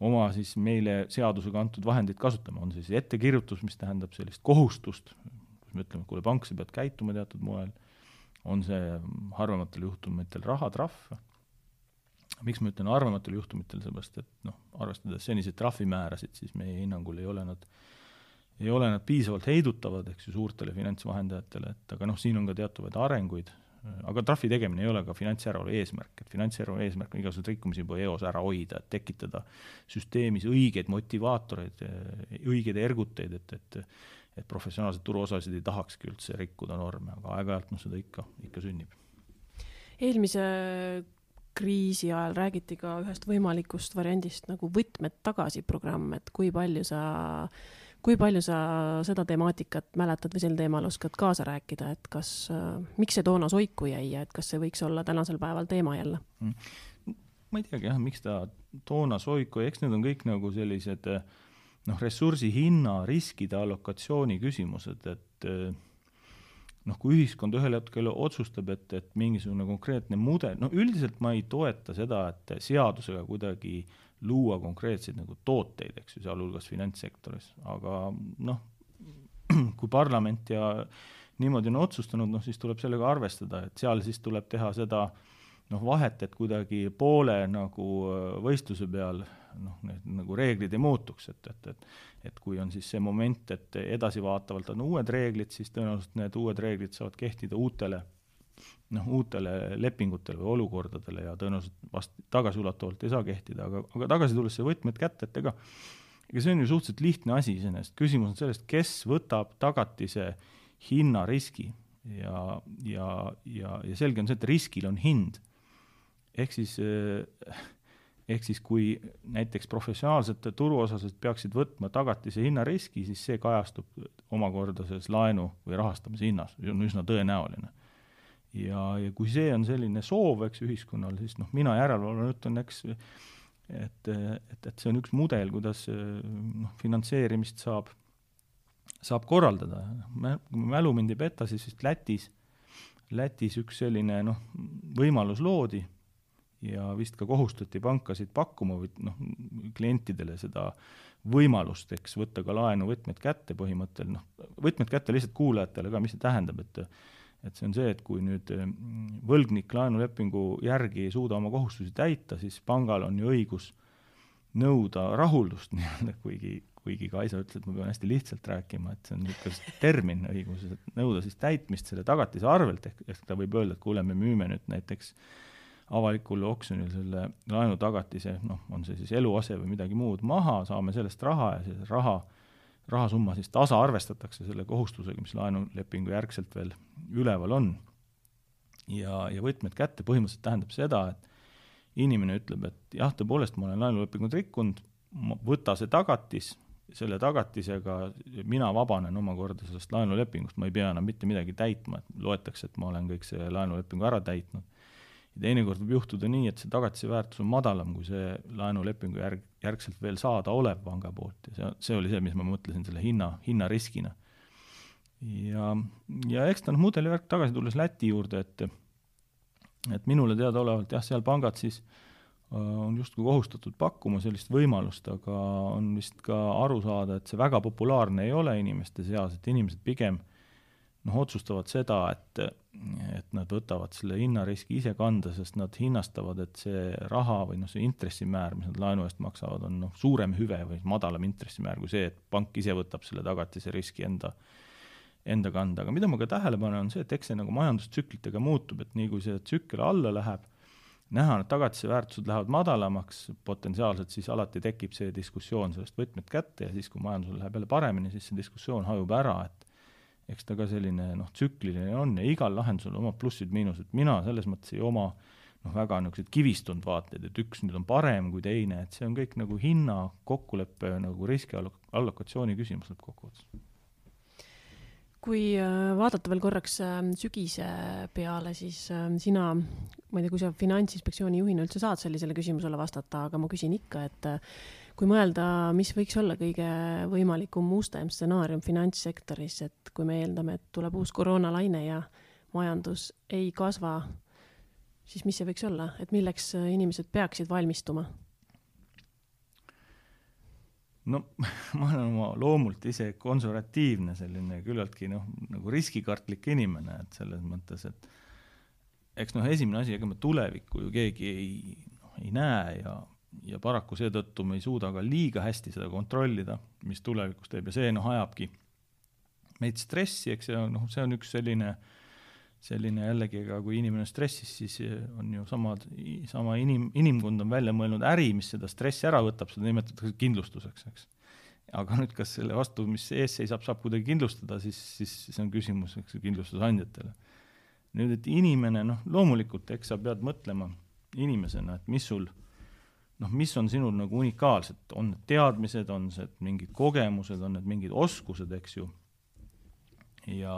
oma siis meile seadusega antud vahendid kasutame. On siis ettekirjutus, mis tähendab sellist kohustust, kus me ütleme, kuule, pank, sa pead käituma teatud moel, on see harvematel juhtumitel rahatrahv. Miks ma ütlen harvematel juhtumitel, seepärast, et noh, arvestades seniseid trahvimäärasid, siis meie hinnangul ei ole nad ei ole nad piisavalt heidutavad, eks ju, suurtele finantsvahendajatele, et aga noh, siin on ka teatavaid arenguid, aga trahvi tegemine ei ole ka finantsjärelevalve eesmärk, et finantsjärelevalve eesmärk on igasugused rikkumisi juba eos ära hoida, et tekitada süsteemis õigeid motivaatoreid, õigeid erguteid, et, et, et professionaalsed turuosasid ei tahakski üldse rikkuda norme, aga aeg-ajalt no seda ikka, ikka sünnib. Eelmise kriisi ajal räägiti ka ühest võimalikust variandist nagu võtmed tagasi programm, et kui palju sa Kui palju sa seda temaatikat mäletad või sel teemal oskad kaasa rääkida, et kas, miks see toona soiku jäi ja et kas see võiks olla tänasel päeval teema jälle? Ma ei teagi jah, miks ta toona soiku, eks need on kõik nagu sellised noh, ressursi hinna, riskide allokatsiooni küsimused, et noh, kui ühiskond ühel hetkel otsustab, et, et mingisugune konkreetne mudel, no üldiselt ma ei toeta seda, et seadusega kuidagi luua konkreetseid nagu tooteid, eks ju, sealhulgas finantssektoris, aga noh, kui parlament ja niimoodi on otsustanud, noh siis tuleb sellega arvestada, et seal siis tuleb teha seda noh, vahet, et kuidagi poole nagu võistluse peal noh, need nagu reeglid ei muutuks, et, et, et, et kui on siis see moment, et edasivaatavalt on uued reeglid, siis tõenäoliselt need uued reeglid saavad kehtida uutele, noh, uutele lepingutele või olukordadele ja tõenäoliselt vast tagasiulatavalt ei saa kehtida, aga, aga tagasi tulles see võtmed kätte, et ega, ega see on ju suhteliselt lihtne asi iseenesest. Küsimus on sellest, kes võtab tagatise hinnariski ja, ja, ja, ja selge on see, et riskil on hind. Ehk siis ehk siis kui näiteks professionaalsete turuosalised peaksid võtma tagatise hinnariski, siis see kajastub omakorda selles laenu või rahastamise hinnas, see on üsna tõenäoline. Ja, ja kui see on selline soov, eks, ühiskonnal, siis noh, mina järelevalvena ütlen, eks, et, et, et see on üks mudel, kuidas noh, finantseerimist saab, saab korraldada. Kui mälu mind ei peta, siis vist Lätis, Lätis üks selline noh, võimalus loodi, ja vist ka kohustati pankasid pakkuma või noh, klientidele seda võimalust, eks, võtta ka laenu võtmed kätte põhimõttel, noh, võtmed kätte lihtsalt kuulajatele ka, mis see tähendab, et, et see on see, et kui nüüd võlgnik laenulepingu järgi ei suuda oma kohustusi täita, siis pangal on ju õigus nõuda rahuldust, nii-öelda, kuigi, kuigi Kaisa ütles, et ma pean hästi lihtsalt rääkima, et see on niisugune termin õiguses, et nõuda siis täitmist selle tagatise arvelt, ehk, ehk ta võib öelda, et kuule, me müüme nüüd näiteks avalikul oksjonil selle laenu tagatise, noh, on see siis eluase või midagi muud maha, saame sellest raha ja see raha, rahasumma siis tasa arvestatakse selle kohustusega, mis laenulepingu järgselt veel üleval on. Ja, ja võtmed kätte põhimõtteliselt tähendab seda, et inimene ütleb, et jah, tõepoolest ma olen laenulepingut rikkunud, võta see tagatis, selle tagatisega mina vabanen omakorda sellest laenulepingust, ma ei pea enam mitte midagi täitma, et loetakse, et ma olen kõik see laenulepingu ära täitnud. Ja teinekord võib juhtuda nii, et see tagatise väärtus on madalam, kui see laenulepingu järg, järgselt veel saada olev panga poolt. Ja see, see oli see, mis ma mõtlesin selle hinna, hinnariskina. Ja, ja eks ta noh, mudelivärk tagasi tulles Läti juurde, et, et minule teada olevalt, jah, seal pangad siis on justkui kohustatud pakkuma sellist võimalust, aga on vist ka aru saada, et see väga populaarne ei ole inimeste seas, et inimesed pigem noh, otsustavad seda, et, et nad võtavad selle hinnariski ise kanda, sest nad hinnastavad, et see raha või noh, see intressimäär, mis nad laenu eest maksavad, on noh, suurem hüve või madalam intressimäär kui see, et pank ise võtab selle tagatise riski enda, enda kanda. Aga mida ma ka tähele panen, on see, et eks see nagu majandustsüklitega muutub, et nii kui see tsükkel alla läheb, näha, et tagatise väärtused lähevad madalamaks, potentsiaalselt siis alati tekib see diskussioon sellest võtmed kätte ja siis, kui majandusel läheb jälle paremini, siis see diskussioon hajub ära, et eks ta ka selline noh, tsükliline on ja igal lahendusel oma plussid-miinused. Mina selles mõttes ei oma noh, väga niisugused kivistund vaated, et üks nüüd on parem kui teine, et see on kõik nagu hinna kokkuleppe nagu riski allokatsiooni küsimus lõppkokkuvõttes. Kui vaadata veel korraks sügise peale, siis sina, ma ei tea, kui sa Finantsinspektsiooni juhina üldse saad sellisele küsimusele vastata, aga ma küsin ikka, et kui mõelda, mis võiks olla kõige võimalikum mustem stsenaarium finantssektoris, et kui me eeldame, et tuleb uus koroonalaine ja majandus ei kasva, siis mis see võiks olla? Et milleks inimesed peaksid valmistuma? No ma olen oma loomult ise konservatiivne selline küllaltki noh, nagu riskikartlik inimene, et selles mõttes, et eks noh, esimene asi, ega me tulevikku ju keegi ei, noh, ei näe ja ja paraku seetõttu me ei suuda ka liiga hästi seda kontrollida, mis tulevikus teeb ja see noh, ajabki meid stressi, eks see on, noh, see on üks selline, selline jällegi, aga kui inimene stressis, siis on ju samad, sama inim, inimkond on välja mõelnud äri, mis seda stressi ära võtab, seda nimetatakse kindlustuseks, eks. Aga nüüd, kas selle vastu, mis ees seisab, saab kuidagi kindlustada, siis, siis see on küsimus, eks, kindlustusandjatele. Nüüd, et inimene, noh, loomulikult, eks sa pead mõtlema inimesena, et mis sul noh, mis on sinul nagu unikaalsed, on need teadmised, on see mingid kogemused, on need mingid oskused, eks ju, ja,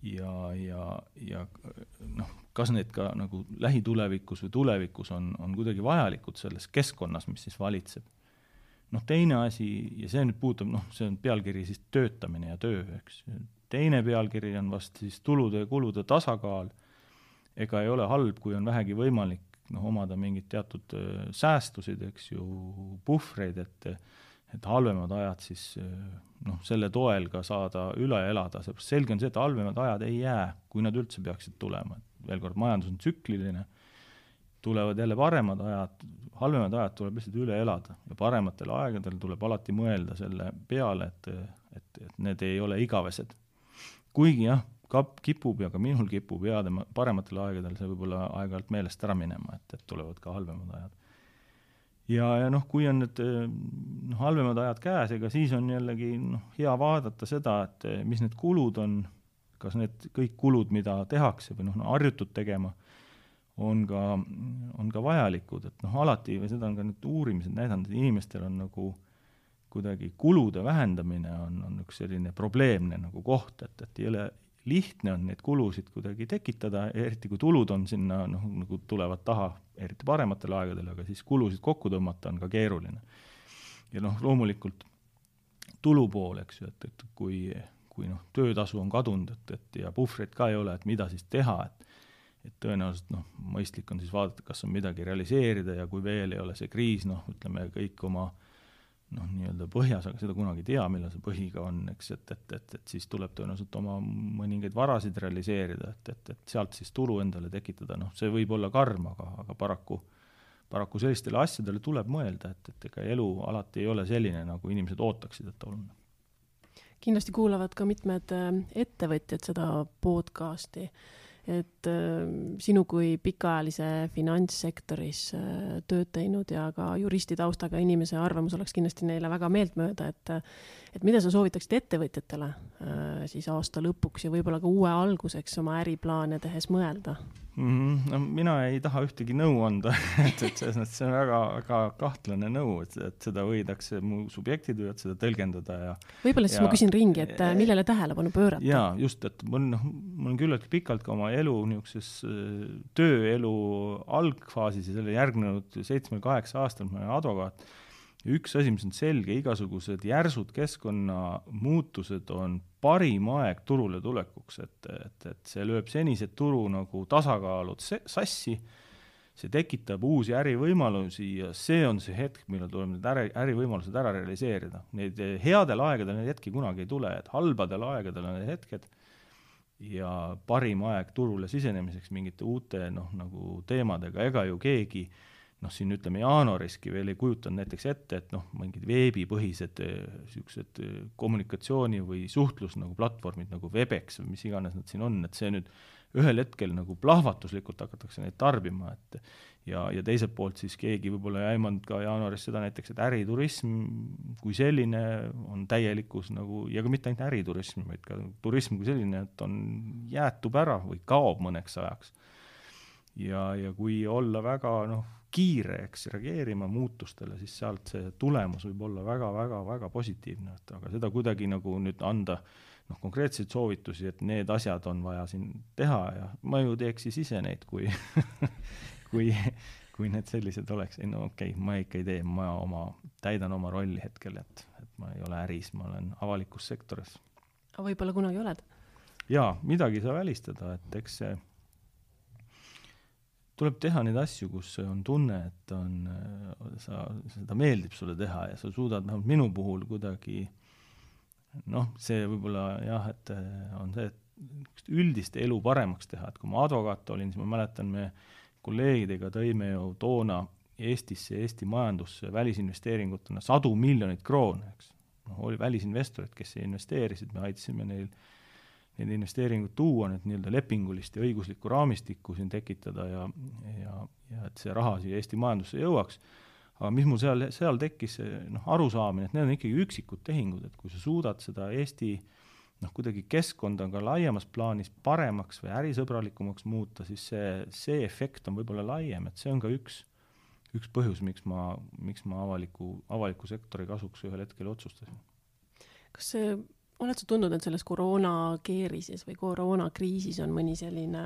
ja, ja, ja noh, kas need ka nagu lähitulevikus või tulevikus on, on kuidagi vajalikud selles keskkonnas, mis siis valitseb. Noh, teine asi, ja see nüüd puutab, noh, see on pealkiri siis töötamine ja töö, eks. Teine pealkiri on vast siis tulude ja kulude tasakaal, ega ei ole halb, kui on vähegi võimalik noh, omada mingid teatud säästusid, eks ju, puhvreid, et, et halvemad ajad siis noh, selle toel ka saada üle elada. Selge on see, et halvemad ajad ei jää, kui nad üldse peaksid tulema. Veel kord, majandus on tsükliline tulevad jälle paremad ajad, halvemad ajad tuleb lihtsalt üle elada ja parematel aegadel tuleb alati mõelda selle peale, et, et, et need ei ole igavesed. Kuigi jah, kap, kipub ja ka minul kipub heade parematel aegadel see võib-olla aeg-ajalt meelest ära minema, et, et tulevad ka halvemad ajad. Ja, ja noh, kui on need noh, halvemad ajad käes, ega siis on jällegi noh, hea vaadata seda, et mis need kulud on, kas need kõik kulud, mida tehakse või noh, no, harjutud tegema, on ka, on ka vajalikud, et noh, alati, või seda on ka nüüd uurimised näidanud, et inimestel on nagu kuidagi kulude vähendamine on, on üks selline probleemne nagu koht, et, et ei ole lihtne on neid kulusid kuidagi tekitada, eriti kui tulud on sinna, noh, nagu tulevad taha, eriti parematel aegadel, aga siis kulusid kokku tõmmata on ka keeruline. Ja noh, loomulikult tulu pool, eks ju, et, et kui, kui noh, töötasu on kadunud, et, et ja puhvreid ka ei ole, et mida siis teha, et et tõenäoliselt noh, mõistlik on siis vaadata, kas on midagi realiseerida ja kui veel ei ole see kriis, noh, ütleme kõik oma noh, nii-öelda põhjas, aga seda kunagi tea, millal see põhiga on, eks, et, et, et, et siis tuleb tõenäoliselt oma mõningaid varasid realiseerida, et, et, et sealt siis tulu endale tekitada, noh, see võib olla karm, aga, aga paraku, paraku sellistele asjadele tuleb mõelda, et, et ega elu alati ei ole selline, nagu inimesed ootaksid, et on. Kindlasti kuulavad ka mitmed ettevõtjad seda podcasti, et äh, sinu kui pikaajalise finantssektoris äh, tööd teinud ja ka juristi taustaga inimese arvamus oleks kindlasti neile väga meeltmööda, et, et mida sa soovitaksid ettevõtjatele äh, siis aasta lõpuks ja võib-olla ka uue alguseks oma äriplaane tehes mõelda? Mm-hmm. No, mina ei taha ühtegi nõu anda, et, et see, see on väga, väga kahtlane nõu, et, et seda võidakse, mu subjektid võivad seda tõlgendada. Ja, võib-olla siis ja, ma küsin ringi, et millele tähelepanu pöörata? Jaa, just, et mul, noh, mul on küllalt pikalt ka oma elu niisuguses tööelu algfaasis ja selle järgnenud seitsme kaheksa aastal ma olen advokaat. Üks asi, mis on selge, igasugused järsud keskkonnamuutused on parim aeg turule tulekuks, et, et, et see lööb senised turu nagu tasakaalud sassi, see tekitab uusi ärivõimalusi ja see on see hetk, millal tuleb need äri, ärivõimalused ära realiseerida. Neid headel aegadel need hetki kunagi ei tule, et halbadel aegadel on need hetked ja parim aeg turule sisenemiseks mingite uute noh, nagu teemadega, ega ju keegi noh, siin ütleme jaanuariski veel ei kujutanud näiteks ette, et noh, mingid veebipõhised siuksed kommunikatsiooni või suhtlus nagu platvormid nagu Webex või mis iganes nad siin on, et see nüüd ühel hetkel nagu plahvatuslikult hakatakse neid tarbima, et ja, ja teiselt poolt siis keegi võib-olla ei aimanud ka jaanuaris seda näiteks, et äriturism kui selline on täielikus nagu, ja ka mitte ainult äriturism, vaid ka turism kui selline, et on jäetub ära või kaob mõneks ajaks. Ja, ja kui olla väga noh, kiireks reageerima muutustele, siis sealt see tulemus võib olla väga, väga, väga positiivne, et aga seda kuidagi nagu nüüd anda noh, konkreetseid soovitusi, et need asjad on vaja siin teha ja ma ju teeks siis ise neid, kui, kui, kui need sellised oleks. Ei, no okei, okay, ma ikka ei tee, ma oma, täidan oma rolli hetkel, et, et ma ei ole äris, ma olen avalikus sektoris. Aga võib-olla kunagi oled? Jaa, midagi saa välistada, et eks see tuleb teha neid asju, kus on tunne, et on, sa, seda meeldib sulle teha ja sa suudad noh, minu puhul kuidagi noh, see võib-olla jah, et on see, et üldist elu paremaks teha, et kui ma advokaat olin, siis ma mäletan, me kolleegidega tõime ju toona Eestisse, Eesti majandusse välisinvesteeringutena sadu miljonit kroone, eks. No, oli välisinvestorid, kes investeerisid, me aitasime neil neid investeeringuid tuua, need nii-öelda lepingulist ja õiguslikku raamistikku siin tekitada ja, ja, ja et see raha siia Eesti majandusse jõuaks. Aga mis mul seal, seal tekkis noh, arusaamine, et need on ikkagi üksikud tehingud, et kui sa suudad seda Eesti noh, kuidagi keskkonda ka laiemas plaanis paremaks või ärisõbralikumaks muuta, siis see, see efekt on võib-olla laiem, et see on ka üks, üks põhjus, miks ma, miks ma avaliku, avaliku sektori kasuks ühel hetkel otsustasin. Kas see oled sa tundnud, et selles koroonakeerises või koroonakriisis on mõni selline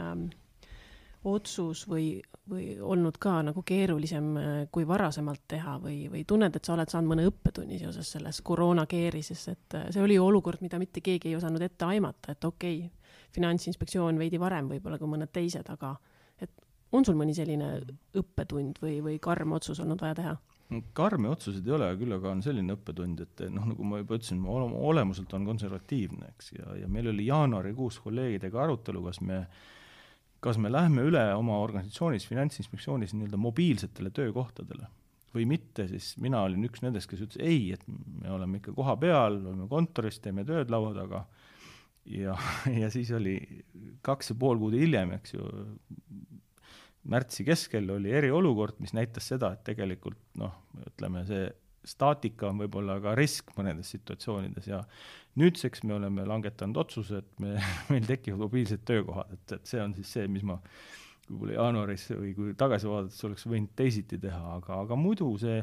otsus või, või olnud ka nagu keerulisem kui varasemalt teha või, või tunned, et sa oled saanud mõne õppetunni seoses selles koroonakeerises, et see oli olukord, mida mitte keegi ei osanud ette aimata, et okei, okay, Finantsinspektsioon veidi varem võib-olla kui mõned teised, aga et on sul mõni selline õppetund või, või karm otsus olnud vaja teha? Karmi otsused ei ole, küll aga on selline õppetund, et noh, nagu ma juba ütlesin, ma olemuselt on konservatiivne, eks, ja, ja meil oli jaanuarikuus kolleegidega arutelu, kas me kas me lähme üle oma organisatsioonis, Finantsinspektsioonis nii-öelda mobiilsetele töökohtadele või mitte, siis mina olin üks nendest, kes ütles ei, et me oleme ikka koha peal, oleme kontoris, teeme tööd laua taga ja, ja siis oli kaks ja pool kuud hiljem, eks ju, märtsi keskel oli eriolukord, mis näitas seda, et tegelikult noh, ütleme see staatika on võib-olla ka risk mõnedes situatsioonides ja nüüdseks me oleme langetanud otsuse, et me, meil tekivad mobiilsed töökohad, et, et see on siis see, mis ma võib-olla jaanuaris või kui tagasi vaadates oleks võinud teisiti teha, aga, aga muidu see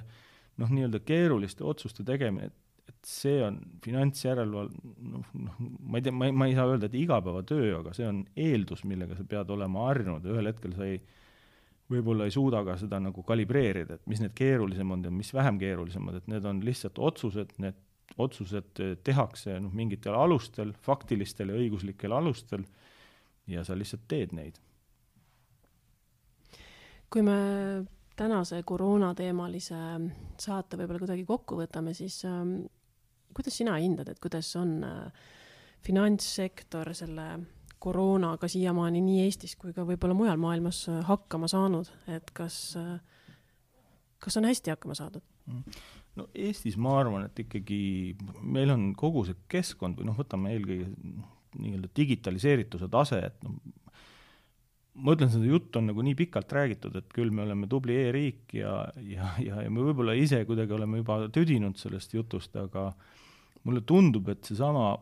noh, nii-öelda keeruliste otsuste tegemine, et, et see on finantsjäreleval, noh, noh, ma ei tea, ma ei, ma ei saa öelda, et igapäevatöö, aga see on eeldus, millega sa pead olema harjunud ja ühel hetkel sa ei võib-olla ei suuda ka seda nagu kalibreerida, et mis need keerulisemad ja mis vähem keerulisemad, et need on lihtsalt otsused, need otsused tehakse noh, mingitel alustel, faktilistel ja õiguslikel alustel ja sa lihtsalt teed neid. Kui me tänase koroonateemalise saate võib-olla kuidagi kokku võtame, siis ähm, kuidas sina hindad, et kuidas on äh, finantssektor selle koroonaga siiamaani nii Eestis kui ka võib-olla mujal maailmas hakkama saanud, et kas, kas on hästi hakkama saadud? No Eestis ma arvan, et ikkagi meil on kogu see keskkond või noh, võtame eelkõige nii-öelda digitaliseerituse tase, et noh, ma ütlen, seda jutt on nagu nii pikalt räägitud, et küll me oleme tubli e-riik ja, ja, ja, ja me võib-olla ise kuidagi oleme juba tüdinud sellest jutust, aga mulle tundub, et see sama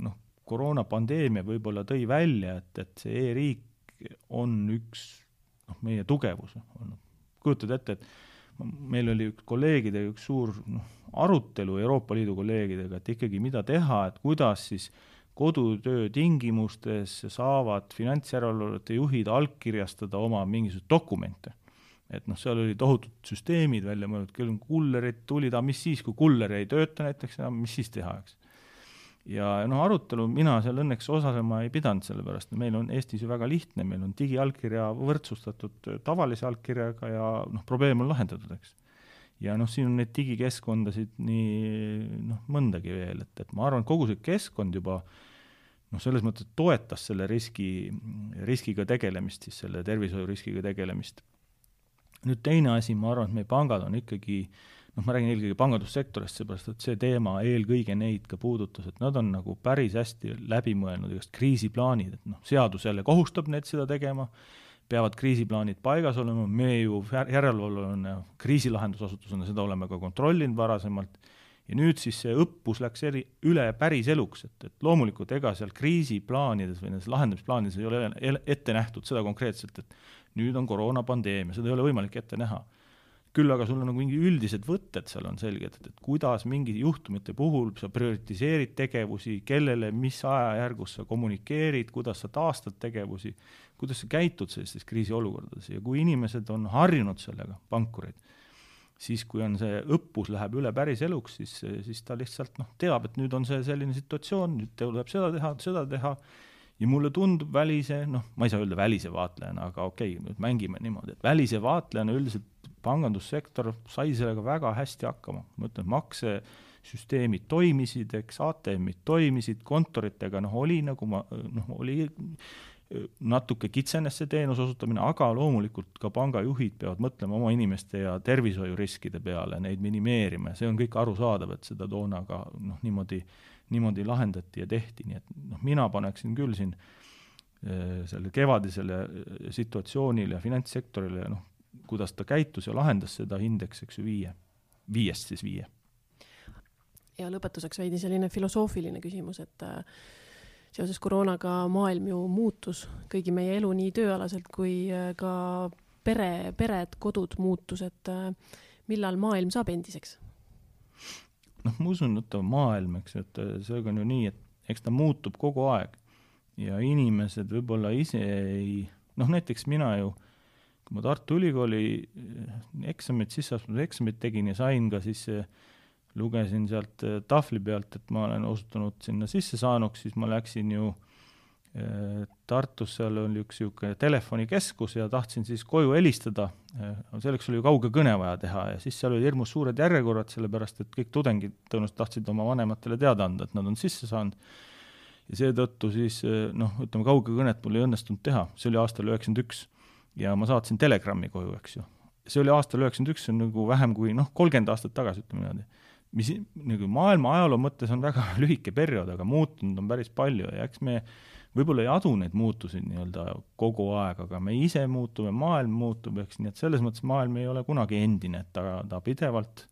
noh, koroonapandeemia võib-olla tõi välja, et, et see e-riik on üks noh, meie tugevus. Kujutad ette, et meil oli üks kolleegidega üks suur noh, arutelu Euroopa Liidu kolleegidega, et ikkagi mida teha, et kuidas siis kodutöö tingimustes saavad finantsjärelevalvete juhid allkirjastada oma mingisuguseid dokumente. Et noh, seal oli tohutud süsteemid välja mõeldud, küll kullerid tulid, mis siis, kui kuller ei tööta näiteks, mis siis teha, eks? Ja noh, arutelu mina seal õnneks osalema ei pidanud, sellepärast meil on Eestis ju väga lihtne, meil on digiallkirja võrdsustatud tavalise allkirjaga ja noh, probleem on lahendatud, eks. Ja noh, siin on neid digikeskkondasid nii noh, mõndagi veel, et, et ma arvan, kogu see keskkond juba noh, selles mõttes toetas selle riski, riskiga tegelemist, siis selle tervishoiuriskiga tegelemist. Nüüd teine asi, ma arvan, et meie pangad on ikkagi noh, ma räägin eelkõige pangandussektorist, seepärast, et see teema eelkõige neid ka puudutas, et nad on nagu päris hästi läbi mõelnud igast kriisiplaanid, et noh, seadus jälle kohustab need seda tegema, peavad kriisiplaanid paigas olema, me ju järelevalvena kriisilahendusasutusena seda oleme ka kontrollinud varasemalt ja nüüd siis see õppus läks eri, üle päris eluks, et, et loomulikult ega seal kriisiplaanides või nendes lahendamisplaanides ei ole ette nähtud seda konkreetselt, et nüüd on koroonapandeemia, seda ei ole võimalik ette näha. Küll aga sul on nagu mingi üldised võtted seal on selged, et, et kuidas mingi juhtumite puhul sa prioritiseerid tegevusi, kellele, mis ajajärgus sa kommunikeerid, kuidas sa taastad tegevusi, kuidas sa käitud sellistes kriisiolukordades ja kui inimesed on harjunud sellega, pankurid, siis kui on see õppus läheb üle päris eluks, siis, siis ta lihtsalt noh, teab, et nüüd on see selline situatsioon, nüüd tuleb seda teha, seda teha ja mulle tundub välise, noh, ma ei saa öelda välise vaatlejana, aga okei, nüüd mängime niimoodi, et välise vaatlejana üldiselt pangandussektor sai sellega väga hästi hakkama. Ma ütlen, maksesüsteemid toimisid, eks A T M-id toimisid, kontoritega noh, oli nagu ma, noh, oli natuke kitsenes see teenus osutamine, aga loomulikult ka pangajuhid peavad mõtlema oma inimeste ja tervishoiuriskide peale, neid minimeerima. See on kõik arusaadav, et seda toona ka noh, niimoodi, niimoodi lahendati ja tehti. Nii et noh, mina paneksin küll siin selle kevadisele situatsioonile ja finantssektorile noh, kuidas ta käitus ja lahendas seda indeks, eks ju, viie. Viiest siis viie. Ja lõpetuseks veidi selline filosoofiline küsimus, et seoses koroonaga maailm ju muutus kõigi meie elu nii tööalaselt kui ka pere, pered, kodud muutus, et millal maailm saab endiseks? Noh, ma usun, et maailm, eks, et see on ju nii, et eks ta muutub kogu aeg ja inimesed võib-olla ise ei, noh näiteks mina ju kui ma Tartu Ülikooli eksamit, sisseastmise eksamit tegin ja sain ka siis, lugesin sealt tahvli pealt, et ma olen osutunud sinna sisse saanuks, siis ma läksin ju Tartus, seal oli üks siuke telefonikeskus ja tahtsin siis koju helistada. Selleks oli ju kauge kõne vaja teha ja siis seal oli hirmus suured järjekorrad, sellepärast et kõik tudengid tõenäoliselt tahtsid oma vanematele teada anda, et nad on sisse saanud. ja seetõttu siis noh, ütleme kaugekõnet mul ei õnnestunud teha, see oli aastal üheksakümmend üks ja ma saatsin telegrammi koju, eks ju. See oli aastal üheksakümmend üks, see on nagu vähem kui noh, kolmkümmend aastat tagasi, ütleme niimoodi. Mis nagu maailma ajaloo mõttes on väga lühike periood, aga muutunud on päris palju ja eks me võib-olla ei adu neid muutusid nii-öelda kogu aeg, aga me ise muutume, maailm muutub, eks nii, et selles mõttes maailm ei ole kunagi endine, et ta, ta pidevalt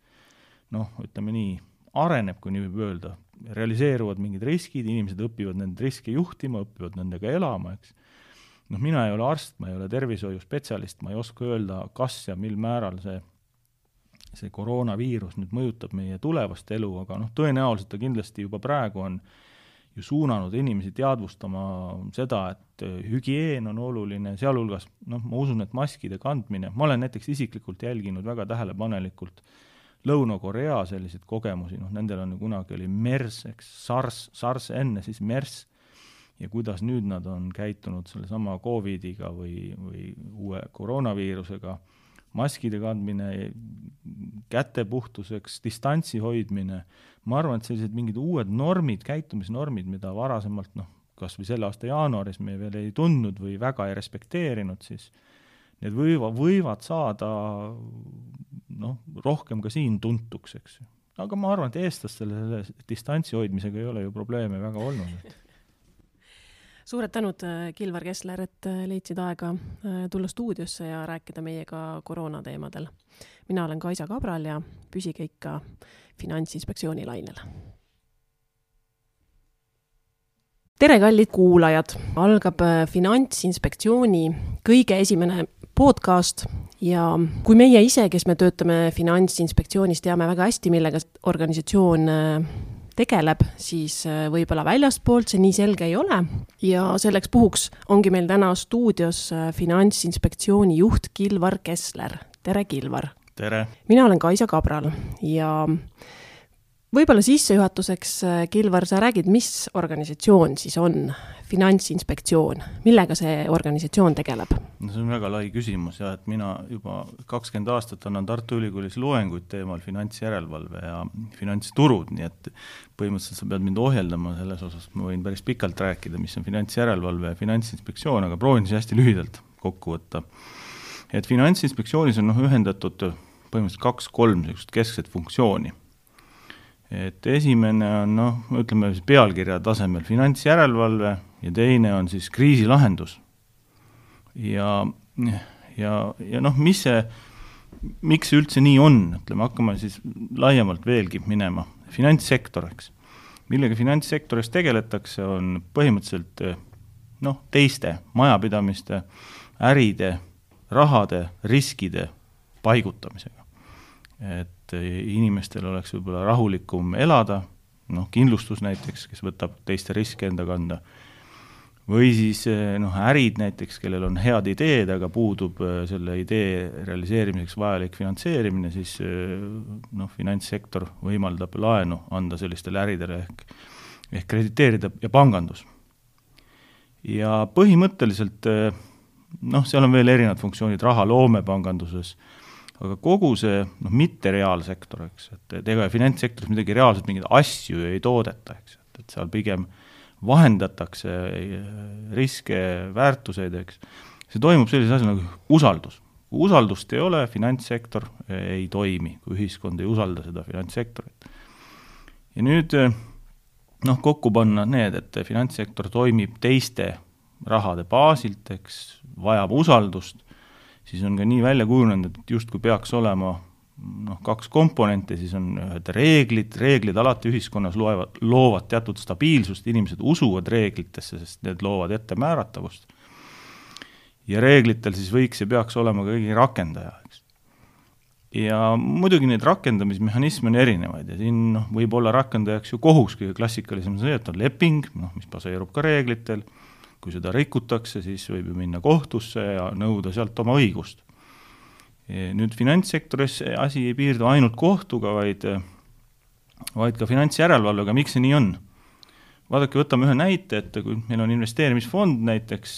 noh, ütleme nii, areneb, kui nii võib öelda, realiseeruvad mingid riskid, inimesed õpivad nende riske juhtima, õpivad nendega elama, eks. Noh, mina ei ole arst, ma ei ole tervishoiuspetsialist, ma ei oska öelda, kas ja mil määral see, see koroonaviirus nüüd mõjutab meie tulevast elu, aga noh, tõenäoliselt ta kindlasti juba praegu on ju suunanud inimesi teadvustama seda, et hügieen on oluline, sealhulgas, noh, ma usun, et maskide kandmine, ma olen näiteks isiklikult jälginud väga tähelepanelikult Lõuna-Korea selliseid kogemusi, noh, nendel on ju kunagi oli MERS, eks, SARS, SARS enne, siis MERS, ja kuidas nüüd nad on käitunud selle sama COVIDiga või, või uue koroonaviirusega, maskide kandmine, kätepuhtuseks, distantsi hoidmine, ma arvan, et sellised mingid uued normid, käitumisnormid, mida varasemalt, noh, kas või selle aasta jaanuaris me veel ei tundnud või väga ei respekteerinud, siis need võiva, võivad saada noh, rohkem ka siin tuntuks, eks. Aga ma arvan, et eestlastel selle distantsi hoidmisega ei ole ju probleeme väga olnud. Suured tänud, Kilvar Kessler, et leidsid aega tulla stuudiosse ja rääkida meiega koroona teemadel. Mina olen Kaisa Kabral ja püsige ikka Finantsinspektsiooni lainel. Tere, kallid kuulajad! Algab Finantsinspektsiooni kõige esimene podcast ja kui meie ise, kes me töötame Finantsinspektsioonis, teame väga hästi, millega organisatsioon tegeleb, siis võib-olla väljastpoolt see nii selge ei ole. Ja selleks puhuks ongi meil täna stuudios Finantsinspektsiooni juht Kilvar Kessler. Tere, Kilvar! Tere! Mina olen Kaisa Kabral ja võib-olla sissejuhatuseks, Kilvar, sa räägid, mis organisatsioon siis on Finantsinspektsioon? Millega see organisatsioon tegeleb? No see on väga lai küsimus ja et mina juba kakskümmend aastat annan Tartu Ülikoolis loenguid teemal finantsjärelevalve ja finantsturud, nii et põhimõtteliselt sa pead mind ohjeldama selles osas, ma võin päris pikalt rääkida, mis on finantsjärelevalve ja Finantsinspektsioon, aga proovin siis hästi lühidalt kokku võtta. Et Finantsinspektsioonis on noh, ühendatud põhimõtteliselt kaks-kolm keskset funktsiooni. Et esimene on, noh, ütleme pealkirja tasemel finantsjärelevalve ja teine on siis kriisilahendus. Ja, ja, ja noh, mis see, miks see üldse nii on, ütleme, hakkame siis laiemalt veelgi minema. Finantssektor, eks. Millega finantssektoris tegeletakse, on põhimõtteliselt noh, teiste majapidamiste, äride, rahade, riskide paigutamisega. Et inimestel oleks võib-olla rahulikum elada, noh, kindlustus näiteks, kes võtab teiste riske enda kanda, või siis noh, ärid näiteks, kellel on head ideed, aga puudub selle idee realiseerimiseks vajalik finantseerimine, siis noh, finantssektor võimaldab laenu anda sellistele äridele ehk, ehk krediteerida ja pangandus. Ja põhimõtteliselt noh, seal on veel erinevad funktsioonid raha loome panganduses, aga kogu see noh, mitte reaalsektor, eks, et ega finantssektoris midagi reaalselt mingeid asju ei toodeta, eks, et, et seal pigem vahendatakse riske, väärtuseid, eks. See toimub sellises asja nagu usaldus. Kui usaldust ei ole, finantssektor ei toimi, kui ühiskond ei usalda seda finantssektorit. Ja nüüd noh, kokku panna need, et finantssektor toimib teiste rahade baasilt, eks, vajab usaldust, siis on ka nii välja kujunenud, et just kui peaks olema noh, kaks komponente, siis on ühed reeglid, reeglid alati ühiskonnas loevad, loovad teatud stabiilsust, inimesed usuvad reeglitesse, sest need loovad ette määratavust. Ja reeglitel siis võiks ja peaks olema ka kõigi rakendaja, eks. Ja muidugi neid rakendamismehhanisme on erinevaid ja siin noh, võib olla rakendajaks ju kohus, kõige klassikalisem see, et on leping, noh, mis baseerub ka reeglitel. Kui seda rikutakse, siis võib ju minna kohtusse ja nõuda sealt oma õigust. Nüüd finantssektoris asi ei piirdu ainult kohtuga, vaid, vaid ka finantsjärelevalvega. Miks see nii on? Vaadake, võtame ühe näite, et kui meil on investeerimisfond näiteks,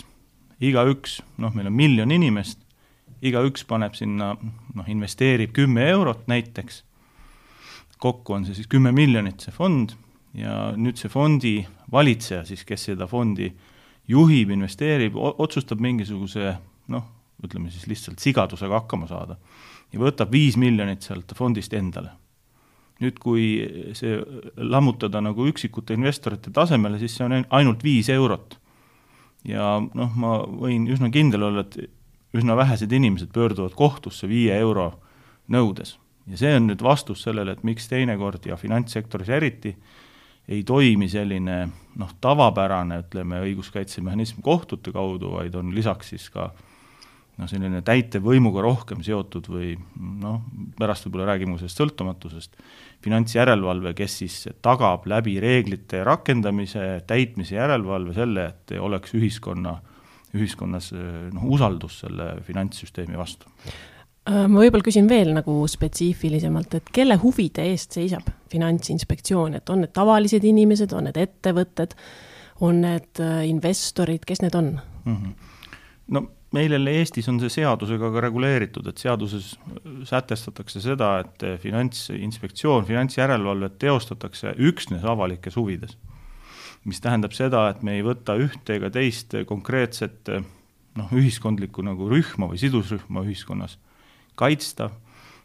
iga üks, noh, meil on miljon inimest, iga üks paneb sinna, noh, investeerib kümme eurot näiteks, kokku on see siis kümme miljonit see fond, ja nüüd see fondi valitseja siis, kes seda fondi juhib, investeerib, otsustab mingisuguse, noh, ütleme siis lihtsalt sigadusega hakkama saada ja võtab viis miljonit sealt fondist endale. Nüüd, kui see lammutada nagu üksikute investorite tasemele, siis see on ainult viis eurot. Ja noh, ma võin üsna kindel olla, et üsna vähesed inimesed pöörduvad kohtusse viie euro nõudes. Ja see on nüüd vastus sellele, et miks teinekord ja finantssektoris eriti ei toimi selline noh, tavapärane, ütleme, õiguskaitsemehhanism kohtute kaudu, vaid on lisaks siis ka no, selline täitevvõimuga rohkem seotud või noh, pärast võib-olla räägime sellest sõltumatusest, finantsjärelevalve, kes siis tagab läbi reeglite rakendamise, täitmise järelevalve selle, et oleks ühiskonna, ühiskonnas noh, usaldus selle finantssüsteemi vastu. Ma võib-olla küsin veel nagu spetsiifilisemalt, et kelle huvide eest seisab Finantsinspektsioon, et on need tavalised inimesed, on need ettevõtted, on need investorid, kes need on? Mm-hmm. No meil Eestis on see seadusega ka reguleeritud, et seaduses sätestatakse seda, et Finantsinspektsioon, finantsjärelevalvet teostatakse üksnes avalikes huvides. Mis tähendab seda, et me ei võta ühte ega teist konkreetset noh, ühiskondlikku nagu rühma või sidusrühma ühiskonnas kaitsta,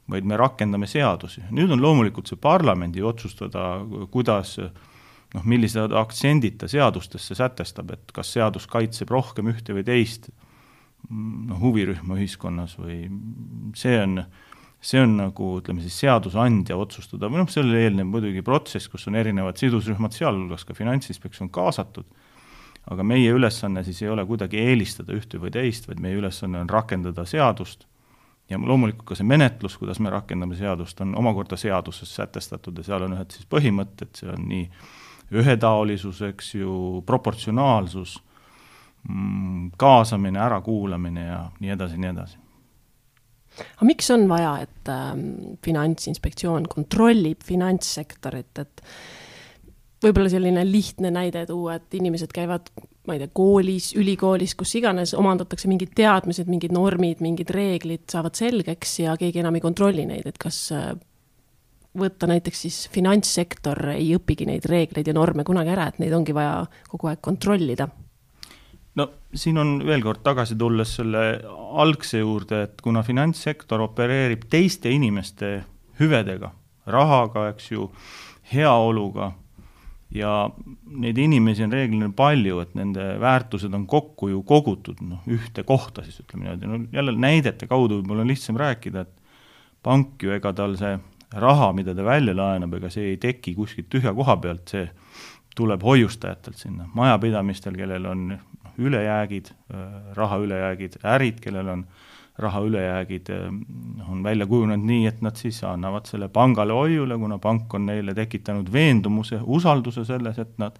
vaid me rakendame seadusi. Nüüd on loomulikult see parlamendi otsustada, kuidas, noh, millised aktsendid ta seadustesse sätestab, et kas seadus kaitseb rohkem ühte või teist no, huvirühma ühiskonnas või see on, see on nagu, ütleme siis, seadusandja otsustada. Või noh, selle eelnev muidugi protsess, kus on erinevad sidusrühmad, sealhulgas ka Finantsinspektsioon kaasatud, aga meie ülesanne siis ei ole kuidagi eelistada ühte või teist, vaid meie ülesanne on rakendada seadust. Ja loomulikult ka see menetlus, kuidas me rakendame seadust, on omakorda seaduses sätestatud ja seal on ühed siis põhimõtted, see on nii ühetaolisus, eks ju, proportsionaalsus, kaasamine, ärakuulamine ja nii edasi, nii edasi. Aga miks on vaja, et äh, Finantsinspektsioon kontrollib finantssektorit, et võib-olla selline lihtne näide tuua, et inimesed käivad ma ei tea, koolis, ülikoolis, kus iganes omandatakse mingid teadmised, mingid normid, mingid reeglid saavad selgeks ja keegi enam ei kontrolli neid, et kas võtta näiteks siis finantssektor ei õpigi neid reegleid ja norme kunagi ära, et neid ongi vaja kogu aeg kontrollida? No siin on veel kord tagasi tulles selle algse juurde, et kuna finantssektor opereerib teiste inimeste hüvedega, rahaga, eks ju, heaoluga, ja neid inimesi on reeglina palju, et nende väärtused on kokku ju kogutud no, ühte kohta, siis ütleme niimoodi. No, jälle näidete kaudu mul on lihtsam rääkida, et pank ju ega tal see raha, mida ta välja laenab, ega see ei teki kuskilt tühja koha pealt, see tuleb hoiustajatelt sinna. Majapidamistel, kellel on ülejäägid, raha ülejäägid, ärid, kellel on raha ülejäägid, on välja kujunenud nii, et nad siis annavad selle pangale hoiule, kuna pank on neile tekitanud veendumuse, usalduse selles, et, nad,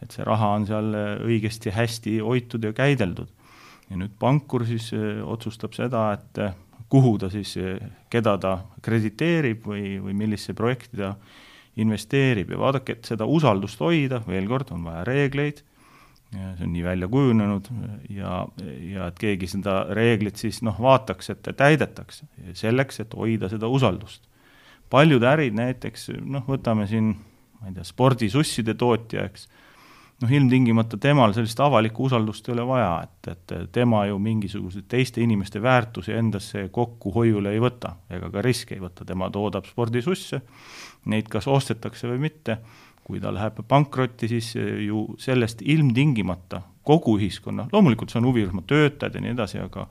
et see raha on seal õigesti hästi hoitud ja käideldud. Ja nüüd pankur siis otsustab seda, et kuhu ta siis, keda ta krediteerib või, või millisse projekti ta investeerib. Ja vaadake, et seda usaldust hoida, veel kord on vaja reegleid, ja see on nii välja kujunenud ja, ja et keegi seda reeglit siis noh, vaataks, et täidetakse selleks, et hoida seda usaldust. Paljud ärid näiteks, noh, võtame siin, ma ei tea, spordisusside tootja, eks, noh, ilmtingimata temal sellist avalikku usaldust ei ole vaja, et, et tema ju mingisugused teiste inimeste väärtusi endasse kokku hoiule ei võta, ega ka riske ei võta, tema toodab spordisusse, neid kas ostetakse või mitte. Kui ta läheb pankrotti, siis ju sellest ilmtingimata kogu ühiskonna, loomulikult see on huvirühma töötajad ja nii edasi, aga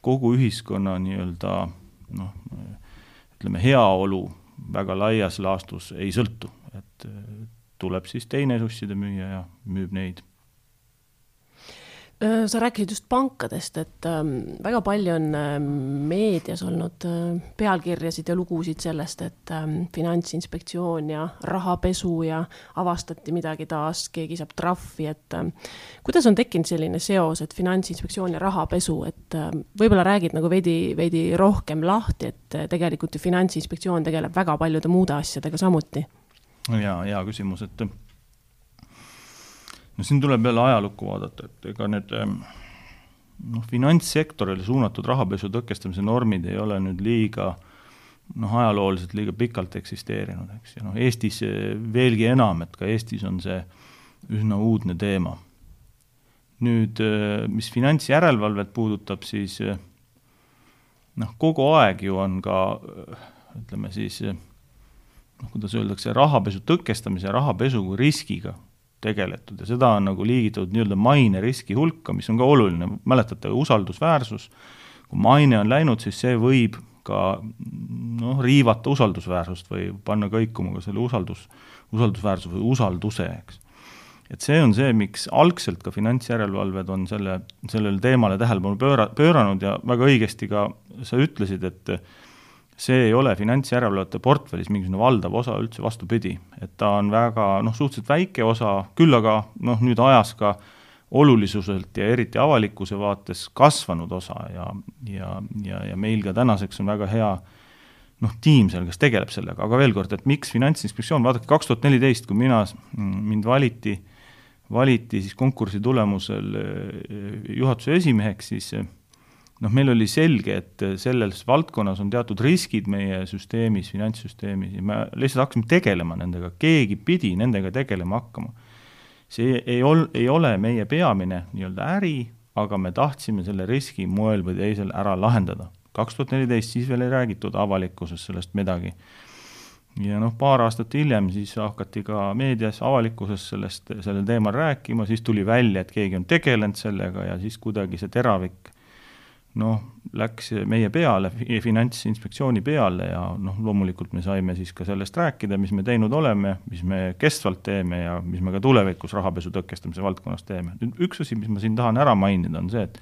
kogu ühiskonna nii-öelda, noh, ütleme, heaolu väga laias laastus ei sõltu, et tuleb siis teine susside müüa ja müüb neid. Sa rääkisid just pankadest, et väga palju on meedias olnud pealkirjasid ja lugusid sellest, et Finantsinspektsioon ja rahapesu ja avastati midagi taas, keegi saab trahvi, et kuidas on tekkinud selline seos, et Finantsinspektsioon ja rahapesu, et võib-olla räägid nagu veidi, veidi rohkem lahti, et tegelikult ju Finantsinspektsioon tegeleb väga paljude muude asjadega samuti? Ja, hea küsimus, et no siin tuleb jälle ajalukku vaadata, et ega need no, finantssektorile suunatud rahapesu tõkestamise normid ei ole nüüd liiga noh, ajalooliselt liiga pikalt eksisteerinud, eks. Ja noh, Eestis veelgi enam, et ka Eestis on see üsna uudne teema. Nüüd, mis finantsjärelevalvet puudutab, siis noh, kogu aeg ju on ka, ütleme siis, noh, kuidas öeldakse, rahapesu tõkestamise ja rahapesu kui riskiga tegeletud ja seda on nagu liigitatud nii-öelda maine riski hulka, mis on ka oluline. Mäletate, usaldusväärsus, kui maine on läinud, siis see võib ka noh, riivata usaldusväärsust või panna kõikuma ka selle usaldus, usaldusväärsus või usalduse, eks. Et see on see, miks algselt ka finantsjärelevalved on selle, sellele teemale tähelepanu pööra, pööranud ja väga õigesti ka sa ütlesid, et see ei ole finantsjärelevalvete portfellis mingisugune valdav osa üldse, vastupidi. Et ta on väga noh, suhteliselt väike osa, küll aga noh, nüüd ajas ka olulisuselt ja eriti avalikkuse vaates kasvanud osa ja, ja, ja, ja meil ka tänaseks on väga hea noh, tiim seal, kes tegeleb sellega, aga veel kord, et miks Finantsinspektsioon, vaadake kaks tuhat neliteist, kui mina, mind valiti, valiti siis konkursi tulemusel juhatuse esimeheks, siis noh, meil oli selge, et selles valdkonnas on teatud riskid meie süsteemis, finantssüsteemis ja me lihtsalt hakkasime tegelema nendega, keegi pidi nendega tegelema hakkama. See ei, ol, ei ole meie peamine nii-öelda äri, aga me tahtsime selle riski moel või teisel ära lahendada. kaks tuhat neliteist siis veel ei räägitud avalikkuses sellest midagi. Ja noh, paar aastat hiljem siis hakati ka meedias avalikkuses sellest, sellel teemal rääkima, siis tuli välja, et keegi on tegelenud sellega ja siis kuidagi see teravik noh, läks meie peale, Finantsinspektsiooni peale ja noh, loomulikult me saime siis ka sellest rääkida, mis me teinud oleme, mis me kestvalt teeme ja mis me ka tulevikus rahapesu tõkestamise valdkonnas teeme. Nüüd üks asi, mis ma siin tahan ära mainida, on see, et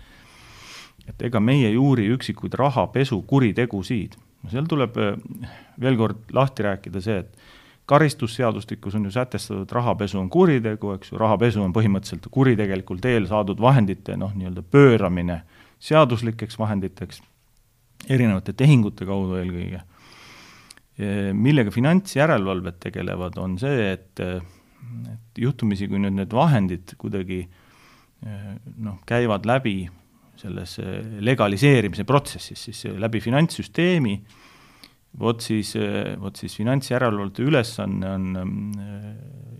et ega meie juuri üksikuid rahapesu kuritegusid. Seal tuleb veel kord lahti rääkida see, et karistusseadustikus on ju sätestatud, et rahapesu on kuritegu, eks ju, rahapesu on põhimõtteliselt kuritegelikult eel saadud vahendite noh, nii-öelda pööramine seaduslikeks vahenditeks, erinevate tehingute kaudu eelkõige. Millega finantsjärelevalved tegelevad, on see, et, et juhtumisi, kui nüüd need vahendid kuidagi noh, käivad läbi selles legaliseerimise protsessis, siis läbi finantssüsteemi, vot siis, vot siis finantsjärelevalvete ülesanne on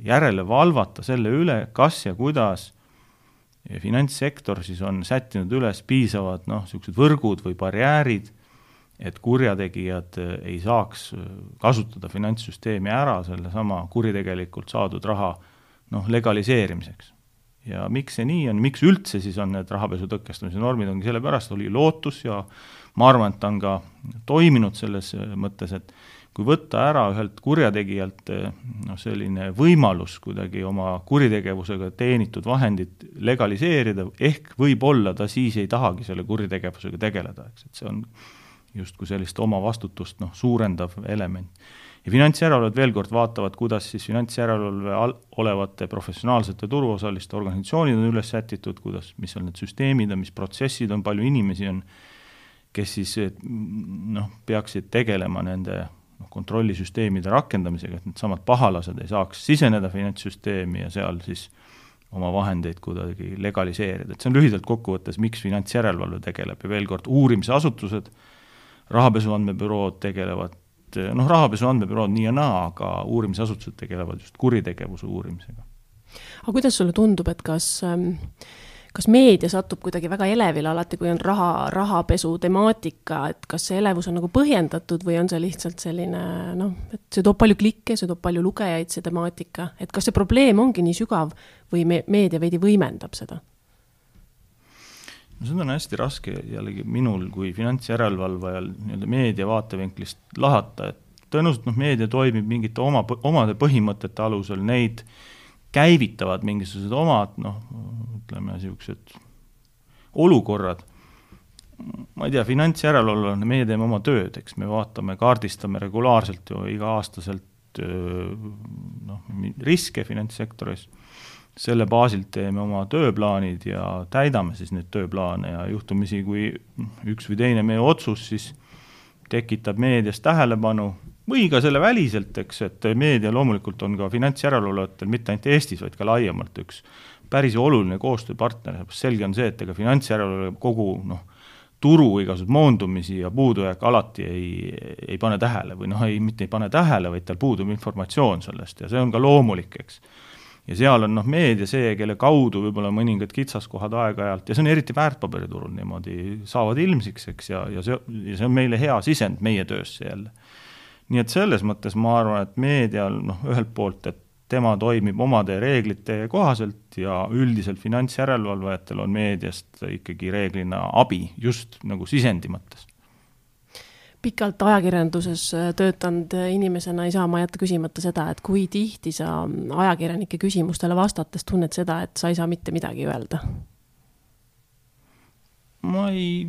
järele valvata selle üle, kas ja kuidas finantssektor siis on sättinud üles piisavad noh, sellised võrgud või barjäärid, et kurjategijad ei saaks kasutada finantssüsteemi ära selle sama kuritegelikult saadud raha noh, legaliseerimiseks. Ja miks see nii on, miks üldse siis on need rahapesu tõkestamise normid, ongi sellepärast oli lootus ja ma arvan, et ta on ka toiminud selles mõttes, et kui võtta ära ühelt kurjategijalt no, selline võimalus kuidagi oma kuritegevusega teenitud vahendit legaliseerida, ehk võib-olla ta siis ei tahagi selle kuritegevusega tegeleda, eks, et see on justkui sellist oma vastutust noh, suurendav element. Ja finantsjärelevalved veel kord vaatavad, kuidas siis finantsjärelevalve olevate professionaalsete turuosaliste organisatsioonid on üles sätitud, kuidas, mis on need süsteemid, mis protsessid on, palju inimesi on, kes siis noh, peaksid tegelema nende kontrollisüsteemide rakendamisega, et need samad pahalased ei saaks siseneda finantssüsteemi ja seal siis oma vahendeid kuidagi legaliseerida. Et see on lühidalt kokkuvõttes, miks finantsjärelevalve tegeleb ja veel kord uurimisasutused, rahapesu andmebürood tegelevad, noh, rahapesu andmebürood nii ja naa, aga uurimisasutused tegelevad just kuritegevuse uurimisega. Aga kuidas sulle tundub, et kas kas meedia satub kuidagi väga elevile alati, kui on raha, rahapesu temaatika, et kas see elevus on nagu põhjendatud või on see lihtsalt selline, noh, et see toob palju klikke, see toob palju lugejaid, see temaatika, et kas see probleem ongi nii sügav või me, meedia veidi võimendab seda? No seda on hästi raske jällegi minul kui finantsjärelevalvajal nii-öelda meedia vaatevinklist lahata, et tõenäoliselt noh, meedia toimib mingite oma, omade põhimõtete alusel, neid käivitavad mingisugused omad, noh, ütleme, niisugused olukorrad. Ma ei tea, finantsjärelevalvajana meie teeme oma tööd, eks me vaatame, kaardistame regulaarselt ju iga-aastaselt noh, riske finantssektoris. Selle baasilt teeme oma tööplaanid ja täidame siis need tööplaane ja juhtumisi, kui üks või teine meie otsus siis tekitab meedias tähelepanu või ka selle väliselt, eks, et meedia loomulikult on ka finantsjärelevalvajatel mitte ainult Eestis, vaid ka laiemalt üks päris oluline koostööpartner. Selge on see, et ega finantsjärelevalve kogu noh, turu igasugused moondumisi ja puudujääk alati ei, ei pane tähele või noh, ei, mitte ei pane tähele, vaid tal puudub informatsioon sellest ja see on ka loomulik, eks. Ja seal on noh, meedia see, kelle kaudu võib-olla mõningad kitsaskohad aeg-ajalt, ja see on eriti väärtpaberiturul niimoodi, saavad ilmsiks, eks, ja, ja, see, ja see on meile hea sisend meie töösse jälle. Nii et selles mõttes ma arvan, et meedial noh, ühelt poolt, et tema toimib omade reeglite kohaselt ja üldiselt finantsjärelevalvajatel on meediast ikkagi reeglina abi just nagu sisendi mõttes. Pikalt ajakirjanduses töötanud inimesena ei saa ma jätta küsimata seda, et kui tihti sa ajakirjanike küsimustele vastates tunned seda, et sa ei saa mitte midagi öelda? Ma ei,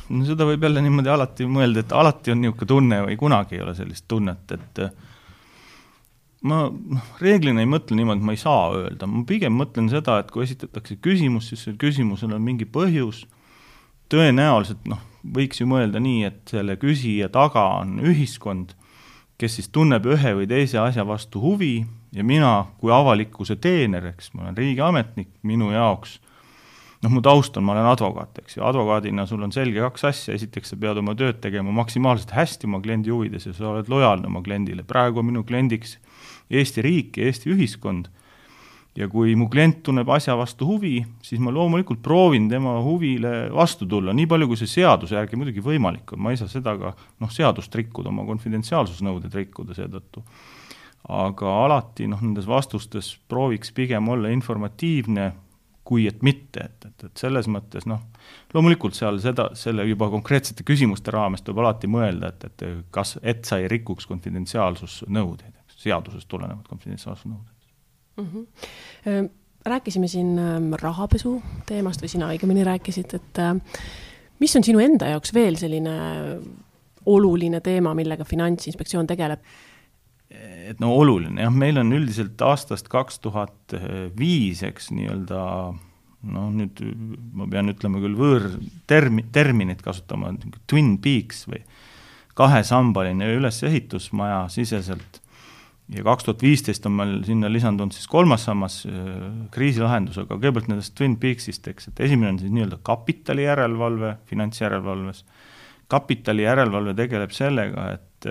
no seda võib jälle niimoodi alati mõelda, et alati on niisugune tunne või kunagi ei ole sellist tunnet, et ma reeglina ei mõtle niimoodi, et ma ei saa öelda. Ma pigem mõtlen seda, et kui esitatakse küsimus, siis see küsimusel on mingi põhjus. Tõenäoliselt noh, võiks ju mõelda nii, et selle küsija taga on ühiskond, kes siis tunneb ühe või teise asja vastu huvi ja mina kui avalikkuse teener, eks, ma olen riigiametnik, minu jaoks, noh, mu taust on, ma olen advokaat, eks, ja advokaadina sul on selge kaks asja, esiteks sa pead oma tööd tegema maksimaalselt hästi oma kliendi huvides ja sa oled lojaalne oma kliendile. Praegu on minu kliendiks Eesti riik ja Eesti ühiskond ja kui mu klient tunneb asja vastu huvi, siis ma loomulikult proovin tema huvile vastu tulla, nii palju kui see seaduse järgi muidugi võimalik on, ma ei saa seda ka noh, seadust rikkuda, oma konfidentsiaalsusnõuded rikkuda seetõttu. Aga alati noh, nendes vastustes prooviks pigem olla informatiivne, kui et mitte, et, et, et selles mõttes noh, loomulikult seal seda, selle juba konkreetsete küsimuste raames tuleb alati mõelda, et, et, kas, et sa ei rikuks konfidentsiaalsusnõudeid, seadusest tulenevad konfidentsiaalsusnõuded. Mm-hmm. Rääkisime siin rahapesu teemast või sina õigemini rääkisid, et mis on sinu enda jaoks veel selline oluline teema, millega Finantsinspektsioon tegeleb? Et no oluline, jah, meil on üldiselt aastast kaks tuhat viis, eks nii-öelda, no nüüd ma pean ütlema küll võõr termi, terminit kasutama, Twin Peaks või kahesambaline ülesehitusmaja siseselt. Ja kaks tuhat viisteist on meil sinna lisandunud siis kolmas sammas kriisilahendusega, kõigepealt nendest Twin Peaksist, eks, et esimene on siis nii-öelda kapitali järelevalve, finantsjärelevalves. Kapitali järelevalve tegeleb sellega, et,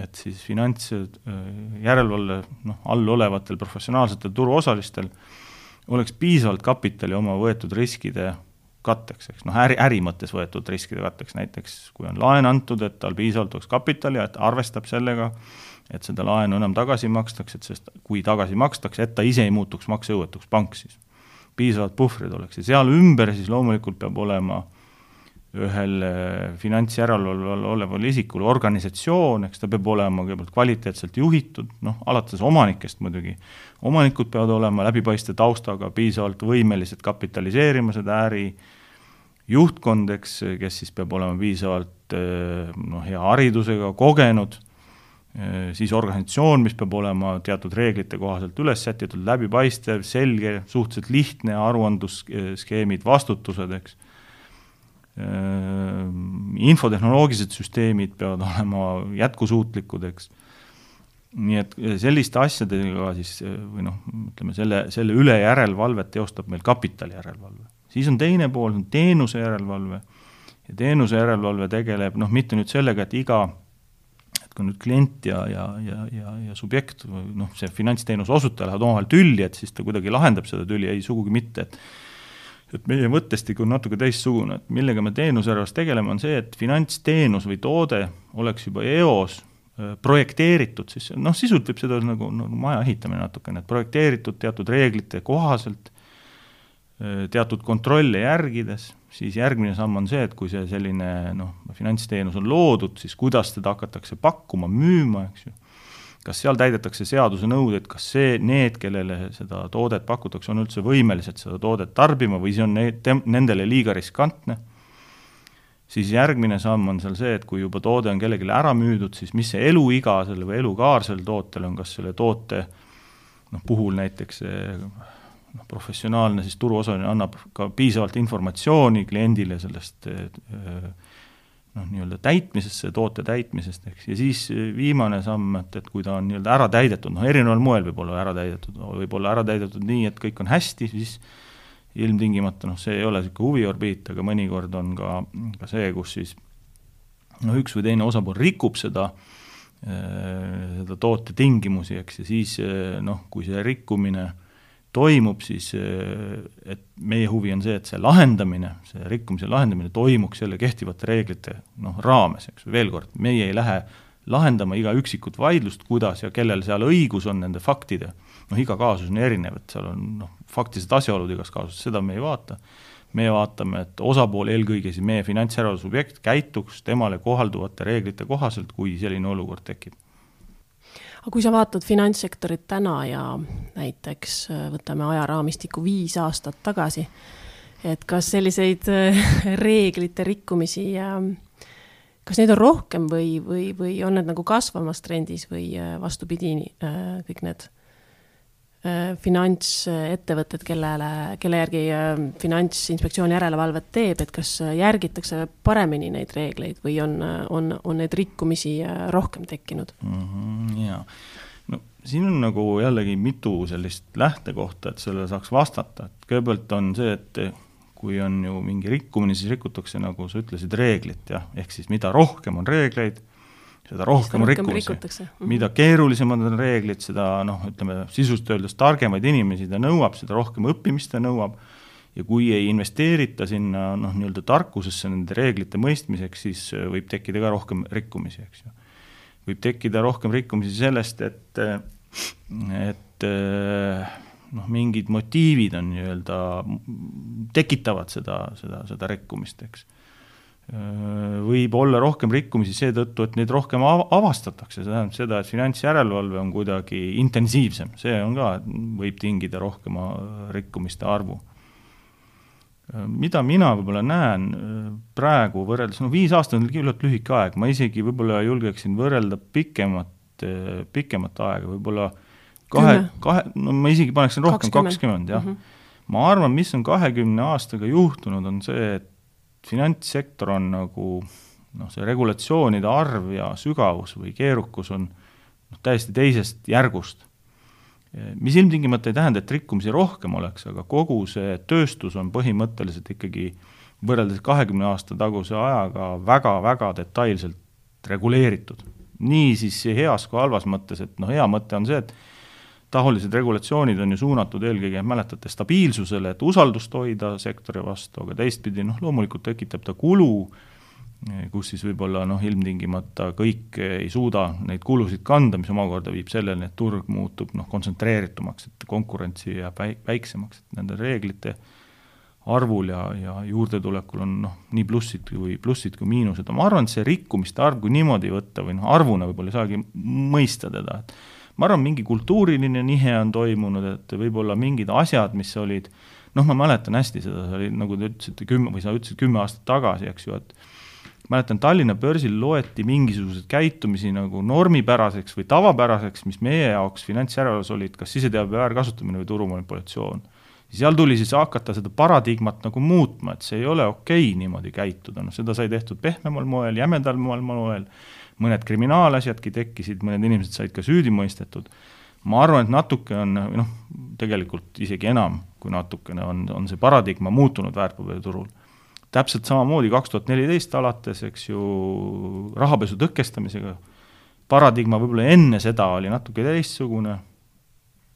et siis finantsjärelevalve noh, all olevatel professionaalsetel turuosalistel oleks piisavalt kapitali oma võetud riskide katteks, eks, noh, äri, äri mõttes võetud riskide katteks, näiteks kui on laen antud, et tal piisavalt oleks kapitali, et arvestab sellega, et seda laenu enam tagasi makstakse, et sest kui tagasi makstakse, et ta ise ei muutuks maksejõuetuks pank siis. Piisavalt puhvrid oleks ja seal ümber siis loomulikult peab olema ühel finantsjärelevalvel oleval isikul organisatsioon, eks ta peab olema kõigepealt kvaliteetselt juhitud, noh, alates omanikest muidugi. Omanikud peavad olema läbipaiste taustaga, piisavalt võimelised kapitaliseerima seda äri, juhtkond, eks, kes siis peab olema piisavalt noh, hea haridusega, kogenud, siis organisatsioon, mis peab olema teatud reeglite kohaselt üles sätitud, läbipaistev, selge, suhteliselt lihtne aruandusskeemid, vastutused, eks. Infotehnoloogilised süsteemid peavad olema jätkusuutlikud, eks. Nii et selliste asjadega siis, või noh, ütleme, selle, selle üle järelevalvet teostab meil kapitali järelevalve. Siis on teine pool, on teenuse järelevalve ja teenuse järelevalve tegeleb, noh, mitte nüüd sellega, et iga kui nüüd klient ja, ja, ja, ja, ja subjekt, noh, see finantsteenuse osutaja lähevad omavahel tülli, et siis ta kuidagi lahendab seda tülli, ei sugugi mitte, et, et meie mõttestik on natuke teistsugune, et millega me teenusjärelevalves tegeleme, on see, et finantsteenus või toode oleks juba eos projekteeritud, siis noh, sisult võib seda nagu, nagu maja ehitamine natukene, et projekteeritud teatud reeglite kohaselt, teatud kontrolle järgides, siis järgmine samm on see, et kui see selline noh, finantsteenus on loodud, siis kuidas seda hakatakse pakkuma, müüma, eks ju. Kas seal täidetakse seaduse nõuded, kas see, need, kellele seda toodet pakutakse, on üldse võimelised seda toodet tarbima või see on need, nendele liiga riskantne. Siis järgmine samm on seal see, et kui juba toode on kellelegi ära müüdud, siis mis see eluiga selle või elukaar selle tootel on, kas selle toote noh, puhul näiteks see noh, professionaalne siis turuosaline annab ka piisavalt informatsiooni kliendile sellest noh, nii-öelda täitmisest, toote täitmisest, eks. Ja siis viimane samm, et, et kui ta on nii-öelda ära täidetud, noh, erineval moel võib olla ära täidetud, võib olla ära täidetud nii, et kõik on hästi, siis ilmtingimata, noh, see ei ole selline huviorbiit, aga mõnikord on ka, ka see, kus siis no üks või teine osapool rikub seda, seda toote tingimusi, eks, ja siis noh, kui see rikkumine toimub, siis et meie huvi on see, et see lahendamine, see rikkumise lahendamine toimuks selle kehtivate reeglite noh, raames, eks, veel kord, meie ei lähe lahendama iga üksikut vaidlust, kuidas ja kellel seal õigus on nende faktide. Noh, iga kaasus on erinev, et seal on noh, faktilised asjaolud igas kaasus, seda me ei vaata. Me vaatame, et osapool eelkõige siis meie finantsjärelevalve subjekt käituks temale kohalduvate reeglite kohaselt, kui selline olukord tekib. Aga kui sa vaatad finantssektorit täna ja näiteks võtame ajaraamistiku viis aastat tagasi, et kas selliseid reeglite rikkumisi ja kas neid on rohkem või, või, või on need nagu kasvamas trendis või vastupidi kõik need finantsettevõtted, kellele, kelle järgi Finantsinspektsiooni järelevalvet teeb, et kas järgitakse paremini neid reegleid või on, on, on neid rikkumisi rohkem tekkinud? Mm-hmm, jaa. No, siin on nagu jällegi mitu sellist lähtekohta, et sellele saaks vastata. Et kõigepealt on see, et kui on ju mingi rikkumine, siis rikutakse, nagu sa ütlesid, reeglit, jah. Ehk siis mida rohkem on reegleid, seda rohkem on rikkumisi. Mida keerulisemad on reeglid, seda, noh, ütleme, sisust öeldes targemaid inimesi ta nõuab, seda rohkem õppimist ta nõuab, ja kui ei investeerita sinna, noh, nii-öelda tarkusesse nende reeglite mõistmiseks, siis võib tekkida ka rohkem rikkumisi, eks ju. Võib tekkida rohkem rikkumisi sellest, et, et noh, mingid motiivid on nii-öelda, tekitavad seda, seda, seda rikkumist, eks. Võib olla rohkem rikkumisi seetõttu, et neid rohkem avastatakse, see tähendab seda, et finantsjärelevalve on kuidagi intensiivsem, see on ka, võib tingida rohkema rikkumiste arvu. Mida mina võib-olla näen praegu võrreldes, no viis aastat on küllalt lühike aeg, ma isegi võib-olla julgeksin võrrelda pikemat, pikemat aega, võib-olla kahe, kahe, no ma isegi paneksin rohkem kakskümmend, jah. Mm-hmm. Ma arvan, mis on kahekümne aastaga juhtunud, on see, et finantssektor on nagu, noh, see regulatsioonide arv ja sügavus või keerukus on noh, täiesti teisest järgust. Mis ilmtingimata ei tähenda, et rikkumisi rohkem oleks, aga kogu see tööstus on põhimõtteliselt ikkagi võrreldes kahekümne aasta taguse ajaga väga-väga detailselt reguleeritud. Nii siis heas kui halvas mõttes, et noh, hea mõte on see, et taolised regulatsioonid on ju suunatud eelkõige, mäletate, stabiilsusele, et usaldust hoida sektori vastu, aga teistpidi, noh, loomulikult tekitab ta kulu, kus siis võib-olla noh, ilmtingimata kõik ei suuda neid kulusid kanda, mis omakorda viib sellele, et turg muutub noh, kontsentreeritumaks, et konkurentsi jääb väiksemaks, et nende reeglite arvul ja, ja juurdetulekul on noh, nii plussid kui, plussid kui miinused. Ma arvan, et see rikkumiste arv, kui niimoodi võtta või noh, arvuna võib-olla ei saagi mõista teda, et ma arvan, mingi kultuuriline nihe on toimunud, et võib-olla mingid asjad, mis olid, noh, ma mäletan hästi seda, see oli, nagu te ütlesite, kümme, või sa ütlesid kümme aastat tagasi, eks ju, et mäletan, Tallinna börsil loeti mingisugused käitumisi nagu normipäraseks või tavapäraseks, mis meie jaoks finantsjärelevalves olid, kas siseteabe väärkasutamine või turumanipulatsioon. Seal tuli siis hakata seda paradigmat nagu muutma, et see ei ole okei niimoodi käituda, no seda sai tehtud pehmemal moel, jämedal moel, mõned kriminaalasjadki tekkisid, mõned inimesed said ka süüdi mõistetud. Ma arvan, et natuke on, noh, tegelikult isegi enam kui natukene on, on see paradigma muutunud väärtpaberiturul. Täpselt samamoodi kaks tuhat neliteist alates, eks ju, rahapesu tõkestamisega. Paradigma võib-olla enne seda oli natuke teistsugune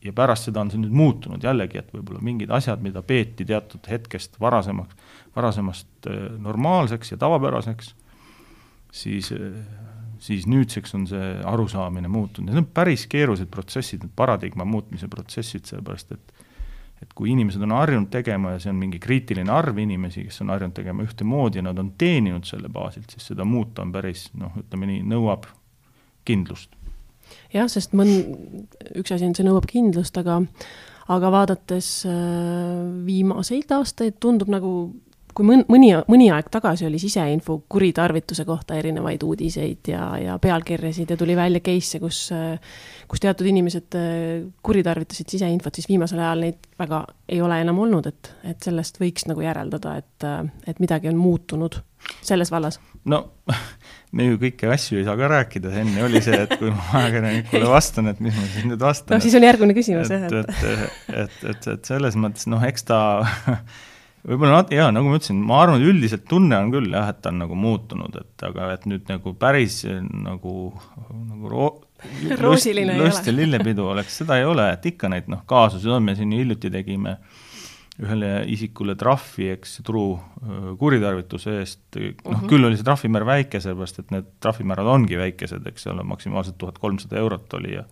ja pärast seda on see nüüd muutunud jällegi, et võib-olla mingid asjad, mida peeti teatud hetkest varasemaks, varasemast normaalseks ja tavapäraseks, siis siis nüüdseks on see arusaamine muutunud. Need on päris keerulised protsessid, need paradigma muutmise protsessid, sellepärast, et, et kui inimesed on harjunud tegema ja see on mingi kriitiline arv inimesi, kes on harjunud tegema ühte moodi ja nad on teeninud selle baasilt, siis seda muuta on päris, noh, ütleme nii, nõuab kindlust. Jah, sest mõn, üks asi on, see nõuab kindlust, aga, aga vaadates viimaseid aastaid tundub nagu kui mõni, mõni aeg tagasi oli siseinfo kuritarvituse kohta erinevaid uudiseid ja, ja pealkirjasid ja tuli välja case, kus, kus teatud inimesed kuritarvitasid siseinfot, siis viimasel ajal neid väga ei ole enam olnud, et, et sellest võiks nagu järeldada, et, et midagi on muutunud selles vallas. no me ju kõiki asju ei saa ka rääkida, enne oli see, et kui ma ajakirjanikule vastan, et mis ma siis nüüd vastan. No siis on järgmine küsimus, et, et, et, et, et, et selles mõttes, noh, eks ta võib-olla, jaa, nagu ma ütlesin, ma arvan, et üldiselt tunne on küll, jah, et ta on nagu muutunud, et aga et nüüd nagu päris nagu, nagu ro- roosiline lust, lust ja lillepidu oleks, seda ei ole, et ikka neid, noh, kaasusid on, me siin hiljuti tegime ühele isikule trahvi, eks, turu kuritarvituse eest, noh, uh -huh. küll oli see trahvimäär väike, sellepärast, et need trahvimäärad ongi väikesed, eks ole, maksimaalselt tuhat kolmsada eurot oli ja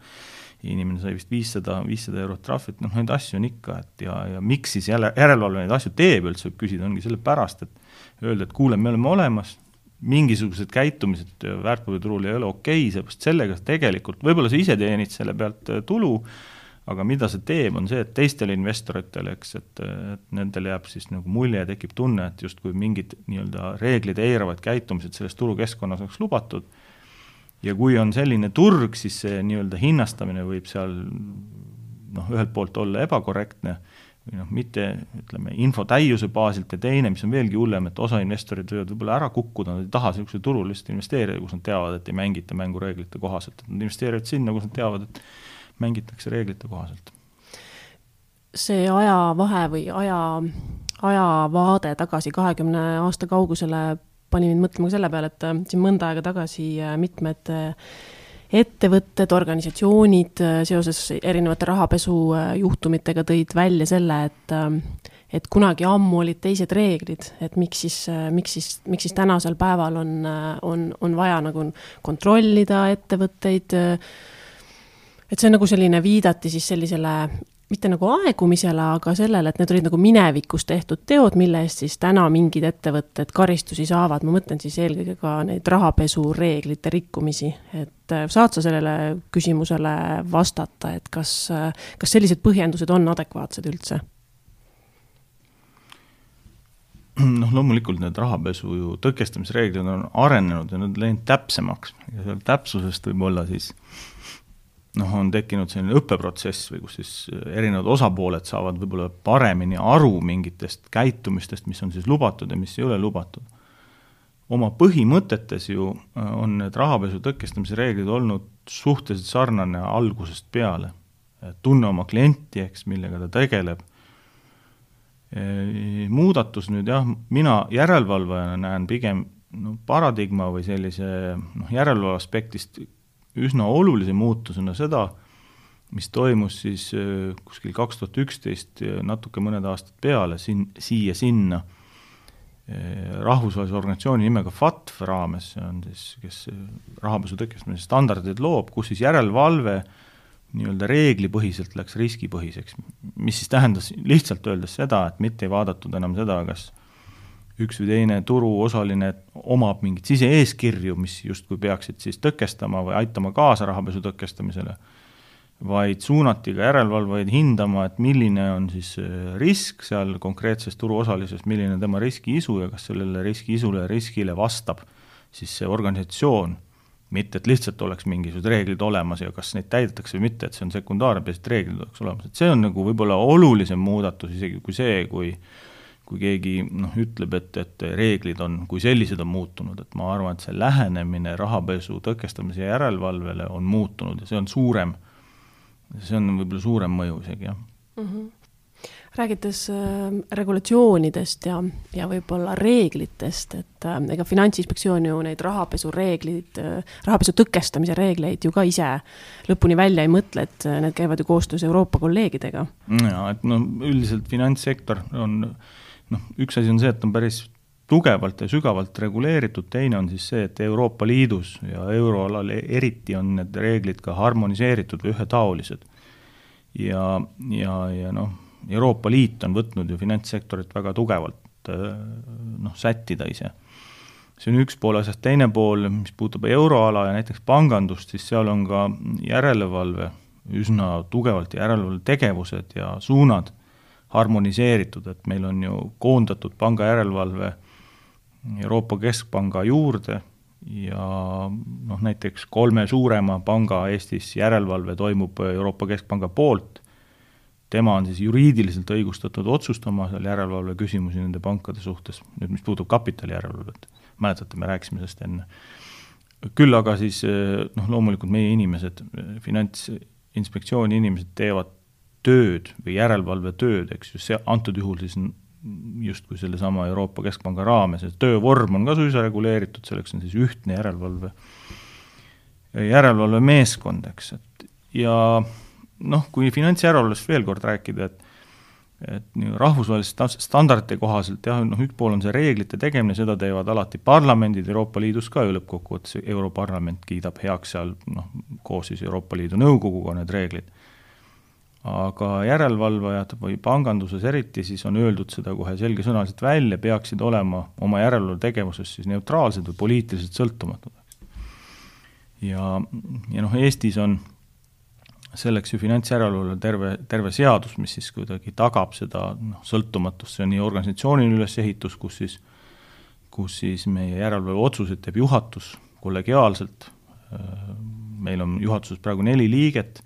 inimene sai vist viissada, viissada eurot trahvit, noh, neid asju on ikka, et ja, ja miks siis jälle, järelevalve neid asju teeb üldse, võib küsida, ongi selle pärast, et öelda, et kuule, me oleme olemas, mingisugused käitumised väärtpaberiturul ei ole okei, sellepärast sellega tegelikult, võib-olla sa ise teenid selle pealt tulu, aga mida see teeb, on see, et teistele investoritele, eks, et, et nendele jääb siis nagu mulje ja tekib tunne, et justkui mingid nii-öelda reeglid eiravad käitumised selles turukeskkonnas oleks lubatud. Ja kui on selline turg, siis see nii-öelda hinnastamine võib seal noh, ühelt poolt olla ebakorrektne või noh, mitte ütleme, info täiuse baasilt ja teine, mis on veelgi hullem, et osa investorid võivad võib-olla ära kukkuda, nad ei taha sellise turul lihtsalt investeerida, kus nad teavad, et ei mängita mängureeglite kohaselt, et nad investeerivad sinna, kus nad teavad, et mängitakse reeglite kohaselt. See ajavahe või aja, ajavaade tagasi kahekümne aasta kaugusele pani mind mõtlema selle peale, et siin mõnda aega tagasi mitmed ettevõtted, organisatsioonid seoses erinevate rahapesu juhtumitega tõid välja selle, et, et kunagi ammu olid teised reeglid, et miks siis, miks siis, miks siis tänasel päeval on, on, on vaja nagu kontrollida ettevõtteid. Et see on nagu selline viidati siis sellisele, mitte nagu aegumisele, aga sellele, et need olid nagu minevikus tehtud teod, mille eest siis täna mingid ettevõtted karistusi saavad. Ma mõtlen siis eelkõige ka neid rahapesu reeglite rikkumisi. Et saad sa sellele küsimusele vastata, et kas, kas sellised põhjendused on adekvaatsed üldse? Noh, loomulikult need rahapesu ju tõkestamisreeglid on arenenud ja nad läinud täpsemaks. Ja seal täpsusest võib olla siis noh, on tekkinud selline õppeprotsess või kus siis erinevad osapooled saavad võib-olla paremini aru mingitest käitumistest, mis on siis lubatud ja mis ei ole lubatud. Oma põhimõtetes ju on need rahapesu tõkestamise reeglid olnud suhteliselt sarnane algusest peale. Tunne oma klienti, eks, millega ta tegeleb. Muudatus nüüd jah, mina järelevalvajana näen pigem no, paradigma või sellise noh, järelevalve aspektist üsna olulise muutusena seda, mis toimus siis kuskil kaks tuhat üksteist natuke mõned aastad peale siin, siia sinna rahvusvahelise organisatsiooni nimega F A T F raames, see on siis, kes rahapesu tõkestamise standardid loob, kus siis järelevalve nii-öelda reeglipõhiselt läks riskipõhiseks, mis siis tähendas lihtsalt öeldes seda, et mitte ei vaadatud enam seda, kas üks või teine turuosaline omab mingit sise-eeskirju, mis justkui peaksid siis tõkestama või aitama kaasa rahapesu tõkestamisele, vaid suunati ka järelevalvaid hindama, et milline on siis risk seal konkreetses turuosalises, milline tema riskiisu ja kas sellele riskiisule ja riskile vastab siis see organisatsioon, mitte et lihtsalt oleks mingisugused reeglid olemas ja kas neid täidetakse või mitte, et see on sekundaarne, peast reeglid oleks olemas. Et see on nagu võib-olla olulisem muudatus isegi kui see, kui kui keegi noh, ütleb, et, et reeglid on, kui sellised on muutunud, et ma arvan, et see lähenemine rahapesu tõkestamise järelevalvele on muutunud ja see on suurem, see on võib-olla suurem mõju isegi, jah. Mm-hmm. Räägites äh, regulatsioonidest ja, ja võib-olla reeglitest, et äh, ega Finantsinspektsioon ju neid rahapesu reeglid, äh, rahapesu tõkestamise reegleid ju ka ise lõpuni välja ei mõtle, et need käivad ju koostöös Euroopa kolleegidega. Ja, et no üldiselt finantssektor on noh, üks asi on see, et on päris tugevalt ja sügavalt reguleeritud, teine on siis see, et Euroopa Liidus ja euroalal eriti on need reeglid ka harmoniseeritud või ühetaolised. Ja, ja, ja noh, Euroopa Liit on võtnud ju finantssektorit väga tugevalt noh, sättida ise. See on üks pool asjast, teine pool, mis puutub euroala ja näiteks pangandust, siis seal on ka järelevalve, üsna tugevalt järelevalve tegevused ja suunad harmoniseeritud, et meil on ju koondatud panga järelevalve Euroopa Keskpanga juurde ja noh, näiteks kolme suurema panga Eestis järelevalve toimub Euroopa Keskpanga poolt. Tema on siis juriidiliselt õigustatud otsustama seal järelevalve küsimusi nende pankade suhtes, nüüd mis puutub kapitali järelevalvet. mäletate, me rääkisime sellest enne. Küll aga siis noh, loomulikult meie inimesed, Finantsinspektsiooni inimesed teevad tööd või järelevalve tööd, eks ju, see antud juhul siis just kui selle sama Euroopa Keskpanga raames, et töövorm on ka suisa reguleeritud, selleks on siis ühtne järelevalve, järelevalve meeskond, eks, et ja noh, kui finantsjärelevalvest veel kord rääkida, et et rahvusvaheliste standardite kohaselt jah, noh, üks pool on see reeglite tegemine, seda teevad alati parlamendid, Euroopa Liidus ka ju lõppkokkuvõttes Europarlament kiidab heaks seal noh, koos siis Euroopa Liidu nõukoguga need reeglid. Aga järelevalvajad või panganduses eriti siis on öeldud seda kohe selgesõnaliselt välja, peaksid olema oma järelevalve tegevuses siis neutraalsed või poliitiliselt sõltumatud. Ja, ja noh, Eestis on selleks ju finantsjärelevalve terve, terve seadus, mis siis kuidagi tagab seda noh, sõltumatust, see on nii organisatsioonil ülesehitus, kus siis, kus siis meie järelevalve otsused teeb juhatus kollegiaalselt, meil on juhatuses praegu neli liiget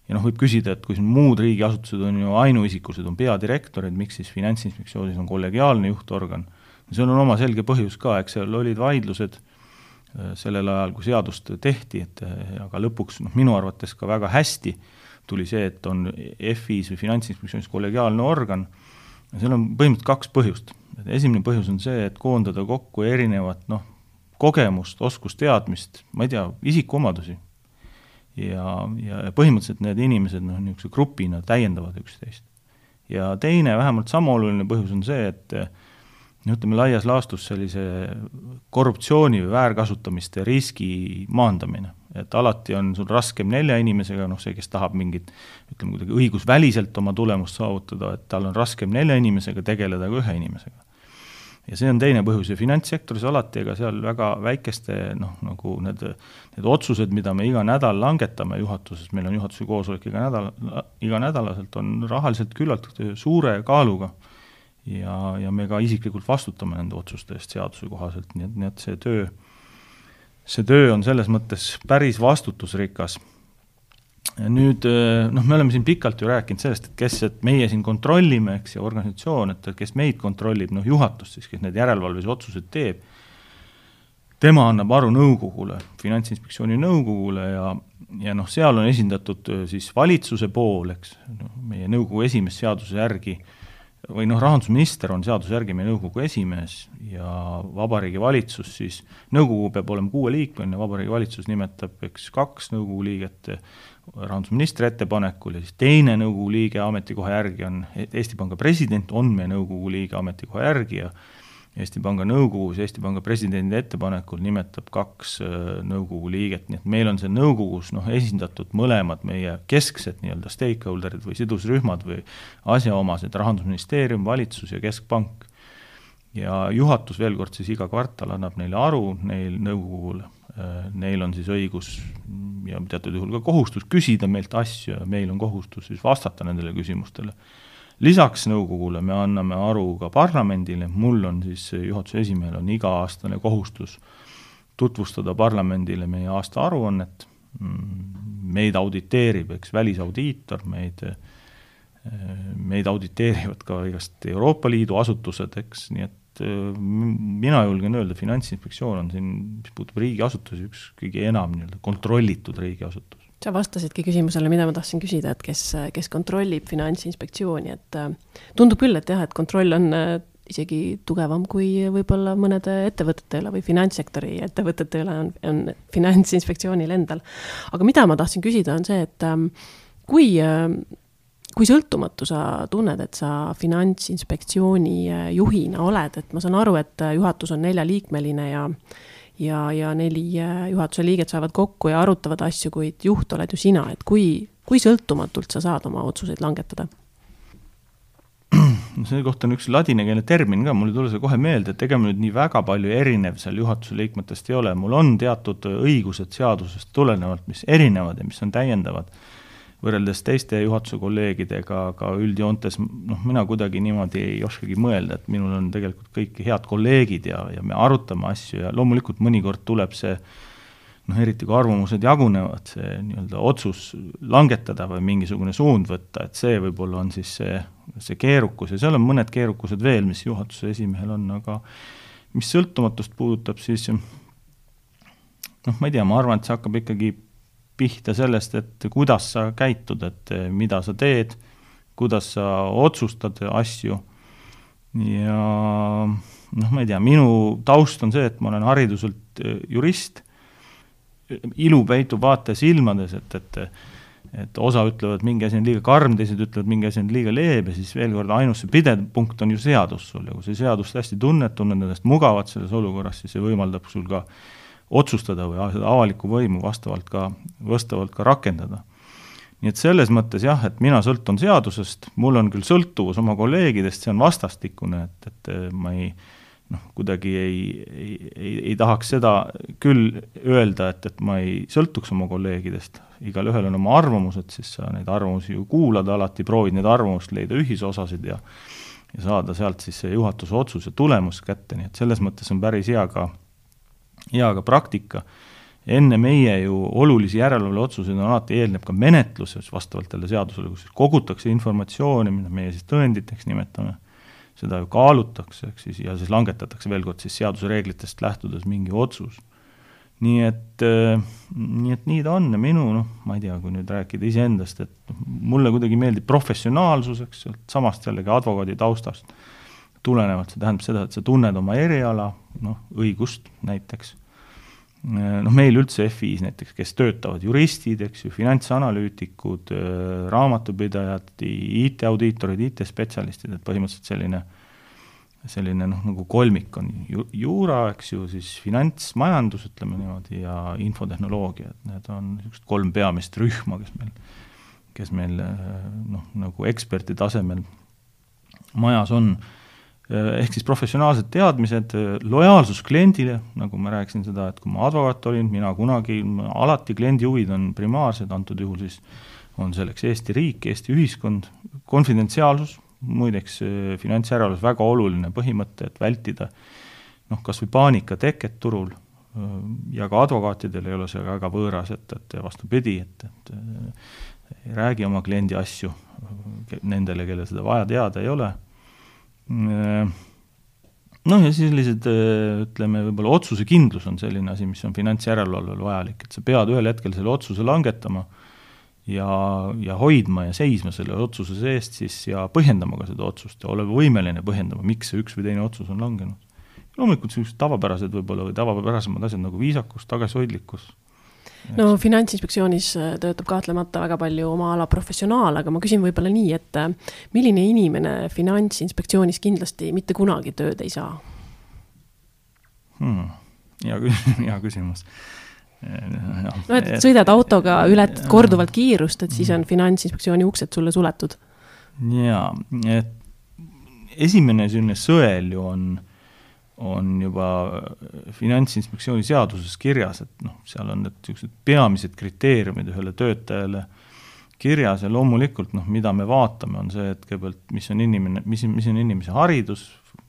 ja noh, võib küsida, et kui muud riigiasutused on ju ainuisikulised, on peadirektorid, miks siis Finantsinspektsioonis on kollegiaalne juhtorgan, see on oma selge põhjus ka, eks seal olid vaidlused sellel ajal, kui seadust tehti, et aga lõpuks noh, minu arvates ka väga hästi tuli see, et on F I-s või Finantsinspektsioonis kollegiaalne organ. Ja seal on põhimõtteliselt kaks põhjust. Esimene põhjus on see, et koondada kokku erinevat noh, kogemust, oskusteadmist, ma ei tea, isikuomadusi. Ja, ja põhimõtteliselt need inimesed noh, niisuguse grupina täiendavad üksteist. Ja teine, vähemalt sama oluline põhjus on see, et ütleme laias laastus sellise korruptsiooni või väärkasutamiste riski maandamine. Et alati on sul raskem nelja inimesega, noh see, kes tahab mingit, ütleme kuidagi õigusväliselt oma tulemust saavutada, et tal on raskem nelja inimesega tegeleda kui ühe inimesega. Ja see on teine põhjus ja finantssektoris alati, ega seal väga väikeste, noh nagu need, need otsused, mida me iga nädal langetame juhatuses, meil on juhatuse koosolek iga nädal, iga nädalaselt on rahaliselt küllalt suure kaaluga. Ja, ja me ka isiklikult vastutame nende otsuste eest seaduse kohaselt, nii et, nii et see töö, see töö on selles mõttes päris vastutusrikas. Ja nüüd, noh, me oleme siin pikalt ju rääkinud sellest, et kes, et meie siin kontrollime, eks, ja organisatsioon, et kes meid kontrollib, noh, juhatus siis, kes need järelevalves otsused teeb, tema annab aru nõukogule, Finantsinspektsiooni nõukogule ja, ja noh, seal on esindatud siis valitsuse pool, eks, no, meie nõukogu esimees seaduse järgi või noh, rahandusminister on seaduse järgi meie nõukogu esimees ja Vabariigi Valitsus siis, nõukogu peab olema kuue liikmeline, Vabariigi Valitsus nimetab eks kaks nõukogu liiget rahandusministri ettepanekul ja siis teine nõukogu liige ametikoha järgi on Eesti Panga president, on meie nõukogu liige ametikoha järgi ja Eesti Panga nõukogus Eesti Panga presidendi ettepanekul nimetab kaks nõukogu liiget, nii et meil on see nõukogus noh, esindatud mõlemad meie kesksed nii-öelda stakeholderid või sidusrühmad või asjaomased, Rahandusministeerium, valitsus ja Keskpank. Ja juhatus veel kord siis iga kvartal annab neile aru, neil nõukogule, neil on siis õigus ja teatud juhul ka kohustus küsida meilt asju ja meil on kohustus siis vastata nendele küsimustele. Lisaks nõukogule me anname aru ka parlamendile, mul on siis juhatuse esimehel on iga-aastane kohustus tutvustada parlamendile meie aasta aruannet, meid auditeerib, eks välisaudiitor, meid, meid auditeerivad ka igast Euroopa Liidu asutused, eks, nii et mina julgen öelda, Finantsinspektsioon on siin, mis puutub riigiasutusi, üks kõige enam nii-öelda kontrollitud riigiasutus. Sa vastasidki küsimusele, mida ma tahtsin küsida, et kes, kes kontrollib Finantsinspektsiooni, et tundub küll, et jah, et kontroll on isegi tugevam kui võib-olla mõnede ettevõtete üle või finantssektori ettevõtete üle on, on Finantsinspektsioonil endal. Aga mida ma tahtsin küsida on see, et kui, kui sõltumatu sa tunned, et sa Finantsinspektsiooni juhina oled, et ma saan aru, et juhatus on neljaliikmeline ja ja, ja neli juhatuse liiget saavad kokku ja arutavad asju, kuid juht oled ju sina, et kui, kui sõltumatult sa saad oma otsuseid langetada? See kohta on üks ladinakeelne termin ka, mul ei tule see kohe meelde, et ega nüüd nii väga palju erinev seal juhatuse liikmetest ei ole, mul on teatud õigused seadusest tulenevalt, mis erinevad ja mis on täiendavad võrreldes teiste juhatuse kolleegidega, aga üldjoontes noh, mina kuidagi niimoodi ei oskagi mõelda, et minul on tegelikult kõik head kolleegid ja, ja me arutame asju ja loomulikult mõnikord tuleb see, noh eriti kui arvamused jagunevad, see nii-öelda otsus langetada või mingisugune suund võtta, et see võib-olla on siis see, see keerukus ja seal on mõned keerukused veel, mis juhatuse esimehel on, aga mis sõltumatust puudutab, siis noh, ma ei tea, ma arvan, et see hakkab ikkagi pihta sellest, et kuidas sa käitud, et mida sa teed, kuidas sa otsustad asju ja noh, ma ei tea, minu taust on see, et ma olen hariduselt jurist, ilu peitub vaate silmades, et, et, et osa ütlevad, mingi asi on liiga karm, teised ütlevad, mingi asi on liiga leebe, siis veel kord ainus see pidev punkt on ju seadus sul, ja kui see seadust hästi tunned, tunned endast mugavad selles olukorras, siis see võimaldab sul ka otsustada või seda avalikku võimu vastavalt ka, vastavalt ka rakendada. Nii et selles mõttes jah, et mina sõltun seadusest, mul on küll sõltuvus oma kolleegidest, see on vastastikune, et, et ma ei, noh, kuidagi ei, ei, ei, ei tahaks seda küll öelda, et, et ma ei sõltuks oma kolleegidest. Igal ühel on oma arvamused, siis sa neid arvamusi ju kuulad, alati proovid neid arvamust leida ühisosasid ja, ja saada sealt siis see juhatuse otsuse tulemus kätte, nii et selles mõttes on päris hea ka, hea ka praktika. Enne meie ju olulisi järelevalve otsuseid on alati eelneb ka menetluses vastavalt tälle seadusele, kus kogutakse informatsiooni, mida meie siis tõenditeks nimetame, seda ju kaalutakse, eks siis, ja siis langetatakse veel kord siis seaduse reeglitest lähtudes mingi otsus. Nii et, nii et nii ta on ja minu, noh, ma ei tea, kui nüüd rääkida iseendast, et mulle kuidagi meeldib professionaalsuseks, samast jällegi advokaadi taustast tulenevalt, see tähendab seda, et sa tunned oma eriala, noh, õigust näiteks. Noh, meil üldse F I-s näiteks, kes töötavad juristid, eks ju, finantsanalüütikud, raamatupidajad, I T-audiitorid, I T-spetsialistid, et põhimõtteliselt selline, selline noh, nagu kolmik on ju, juura, eks ju, siis finantsmajandus, ütleme niimoodi, ja infotehnoloogia, et need on kolm peamist rühma, kes meil, kes meil noh, nagu eksperti tasemel majas on. Ehk siis professionaalsed teadmised, lojaalsus kliendile, nagu ma rääkisin seda, et kui ma advokaat olin, mina kunagi, alati kliendi huvid on primaarsed, antud juhul siis on selleks Eesti riik, Eesti ühiskond, konfidentsiaalsus, muideks finantsjärelevalves väga oluline põhimõte, et vältida noh, kas või paanika teket turul ja ka advokaatidel ei ole see väga võõras, et, et vastupidi, et, et ei räägi oma kliendi asju nendele, kelle seda vaja teada ei ole. Noh ja sellised, ütleme, võib-olla otsuse kindlus on selline asi, mis on finantsjärelevalvel vajalik, et sa pead ühel hetkel selle otsuse langetama ja, ja hoidma ja seisma selle otsuse seest siis ja põhjendama ka seda otsust ja olema võimeline põhjendama, miks see üks või teine otsus on langenud. Loomulikult sellised tavapärased võib-olla või tavapärasemad asjad nagu viisakus, tagasihoidlikkus. No Finantsinspektsioonis töötab kahtlemata väga palju oma ala professionaal, aga ma küsin võib-olla nii, et milline inimene Finantsinspektsioonis kindlasti mitte kunagi tööd ei saa? Hmm. Hea, hea küsimus. Ja, no, et sõidad autoga, ületad korduvalt kiirust, et siis on Finantsinspektsiooni uksed sulle suletud. Jaa, et esimene selline sõel ju on on juba Finantsinspektsiooni seaduses kirjas, et noh, seal on need peamised kriteeriumid ühele töötajale kirjas ja loomulikult, noh, mida me vaatame, on see, et kõigepealt, mis on inimene, mis, mis on inimese haridus,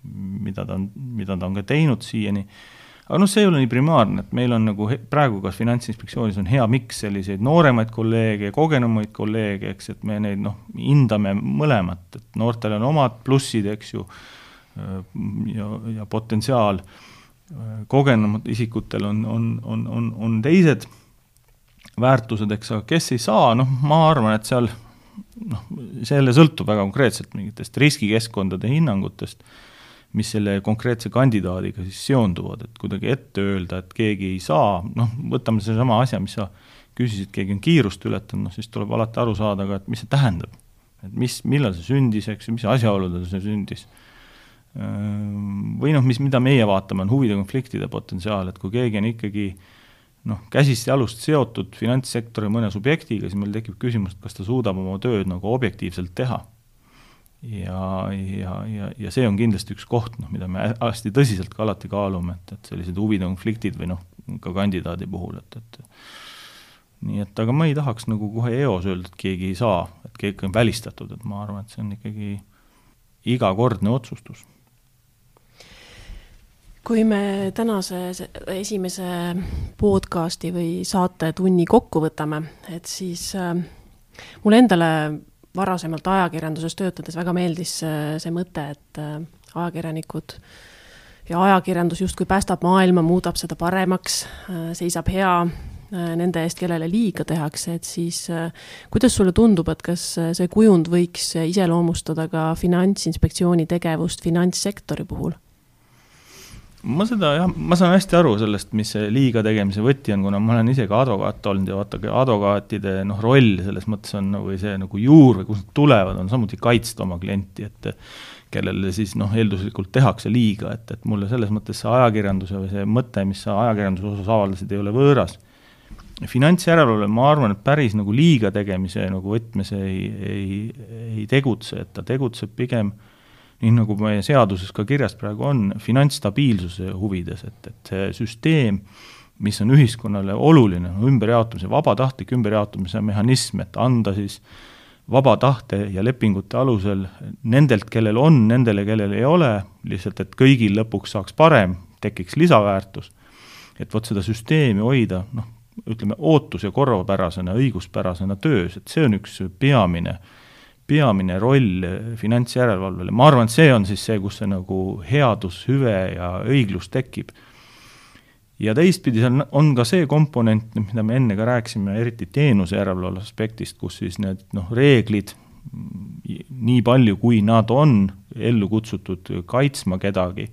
mida ta on, mida ta on ka teinud siiani. Aga noh, see ei ole nii primaarne, et meil on nagu praegu kas Finantsinspektsioonis on hea miks selliseid nooremaid kolleege ja kogenumaid kolleege, eks, et me neid noh, hindame mõlemat, et noortel on omad plussid, eks ju, ja, ja potentsiaal kogenumad isikutel on, on, on, on, on teised väärtused, eks, aga kes ei saa, noh, ma arvan, et seal noh, selle sõltub väga konkreetselt mingitest riskikeskkondade hinnangutest, mis selle konkreetse kandidaadiga siis seonduvad, et kuidagi ette öelda, et keegi ei saa, noh, võtame see sama asja, mis sa küsisid, keegi on kiirust ületanud, noh, siis tuleb alati aru saada ka, et mis see tähendab, et mis, millal see sündis, eks, mis asjaoludel see sündis. Või noh, mis, mida meie vaatame, on huvide konfliktide potentsiaal, et kui keegi on ikkagi noh, käsist ja alust seotud finantssektori mõne subjektiga, siis meil tekib küsimus, et kas ta suudab oma tööd nagu objektiivselt teha. Ja, ja, ja, ja see on kindlasti üks koht, noh, mida me hästi tõsiselt ka alati kaalume, et, et sellised huvide konfliktid või noh, ka kandidaadi puhul, et, et nii et, aga ma ei tahaks nagu kohe eos öelda, et keegi ei saa, et keegi on välistatud, et ma arvan, et see on ikkagi igakordne otsustus. Kui me tänase esimese podcasti või saate tunni kokku võtame, et siis äh, mul endale varasemalt ajakirjanduses töötades väga meeldis äh, see mõte, et äh, ajakirjanikud ja ajakirjandus justkui päästab maailma, muudab seda paremaks, seisab hea nende eest, kellele liiga tehakse, et siis kuidas sulle tundub, et kas see kujund võiks iseloomustada ka Finantsinspektsiooni tegevust finantssektori puhul? Ma seda, jah, ma saan hästi aru sellest, mis see liiga tegemise võti on, kuna ma olen ise ka advokaat olnud ja vaata, advokaatide noh, roll selles mõttes on, või see nagu juur või kus nad tulevad, on samuti kaitsta oma klienti, et kellele siis noh, eelduslikult tehakse liiga, et, et mulle selles mõttes see ajakirjanduse või see mõte, mis sa ajakirjanduse osas avaldasid, ei ole võõras. Finantsjärelevalve, ma arvan, et päris nagu liiga tegemise nagu võtmes ei, ei, ei tegutse, et ta tegutseb pigem nii nagu meie seaduses ka kirjas praegu on, finantsstabiilsuse huvides, et, et see süsteem, mis on ühiskonnale oluline, ümberjaotumise, vabatahtlik ümberjaotumise mehhanism, et anda siis vaba tahte ja lepingute alusel nendelt, kellel on, nendele, kellel ei ole, lihtsalt, et kõigil lõpuks saaks parem, tekiks lisaväärtus, et võt seda süsteemi hoida, noh, ütleme, ootus- ja korvapärasena, õiguspärasena töös, et see on üks peamine peamine roll finantsjärelevalvele. Ma arvan, et see on siis see, kus see nagu headus, hüve ja õiglus tekib. Ja teistpidi seal on ka see komponent, mida me enne ka rääksime, eriti teenuse järelevalve aspektist, kus siis need noh, reeglid, nii palju kui nad on ellu kutsutud kaitsma kedagi,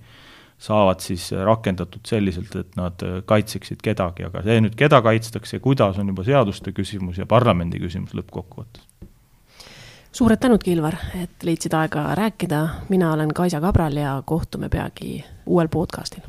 saavad siis rakendatud selliselt, et nad kaitseksid kedagi, aga see nüüd keda kaitstakse, kuidas on juba seaduste küsimus ja parlamendi küsimus lõppkokkuvõttes. Suured tänud, Kilvar, et leidsid aega rääkida. Mina olen Kaisa Kabral ja kohtume peagi uuel podcastil.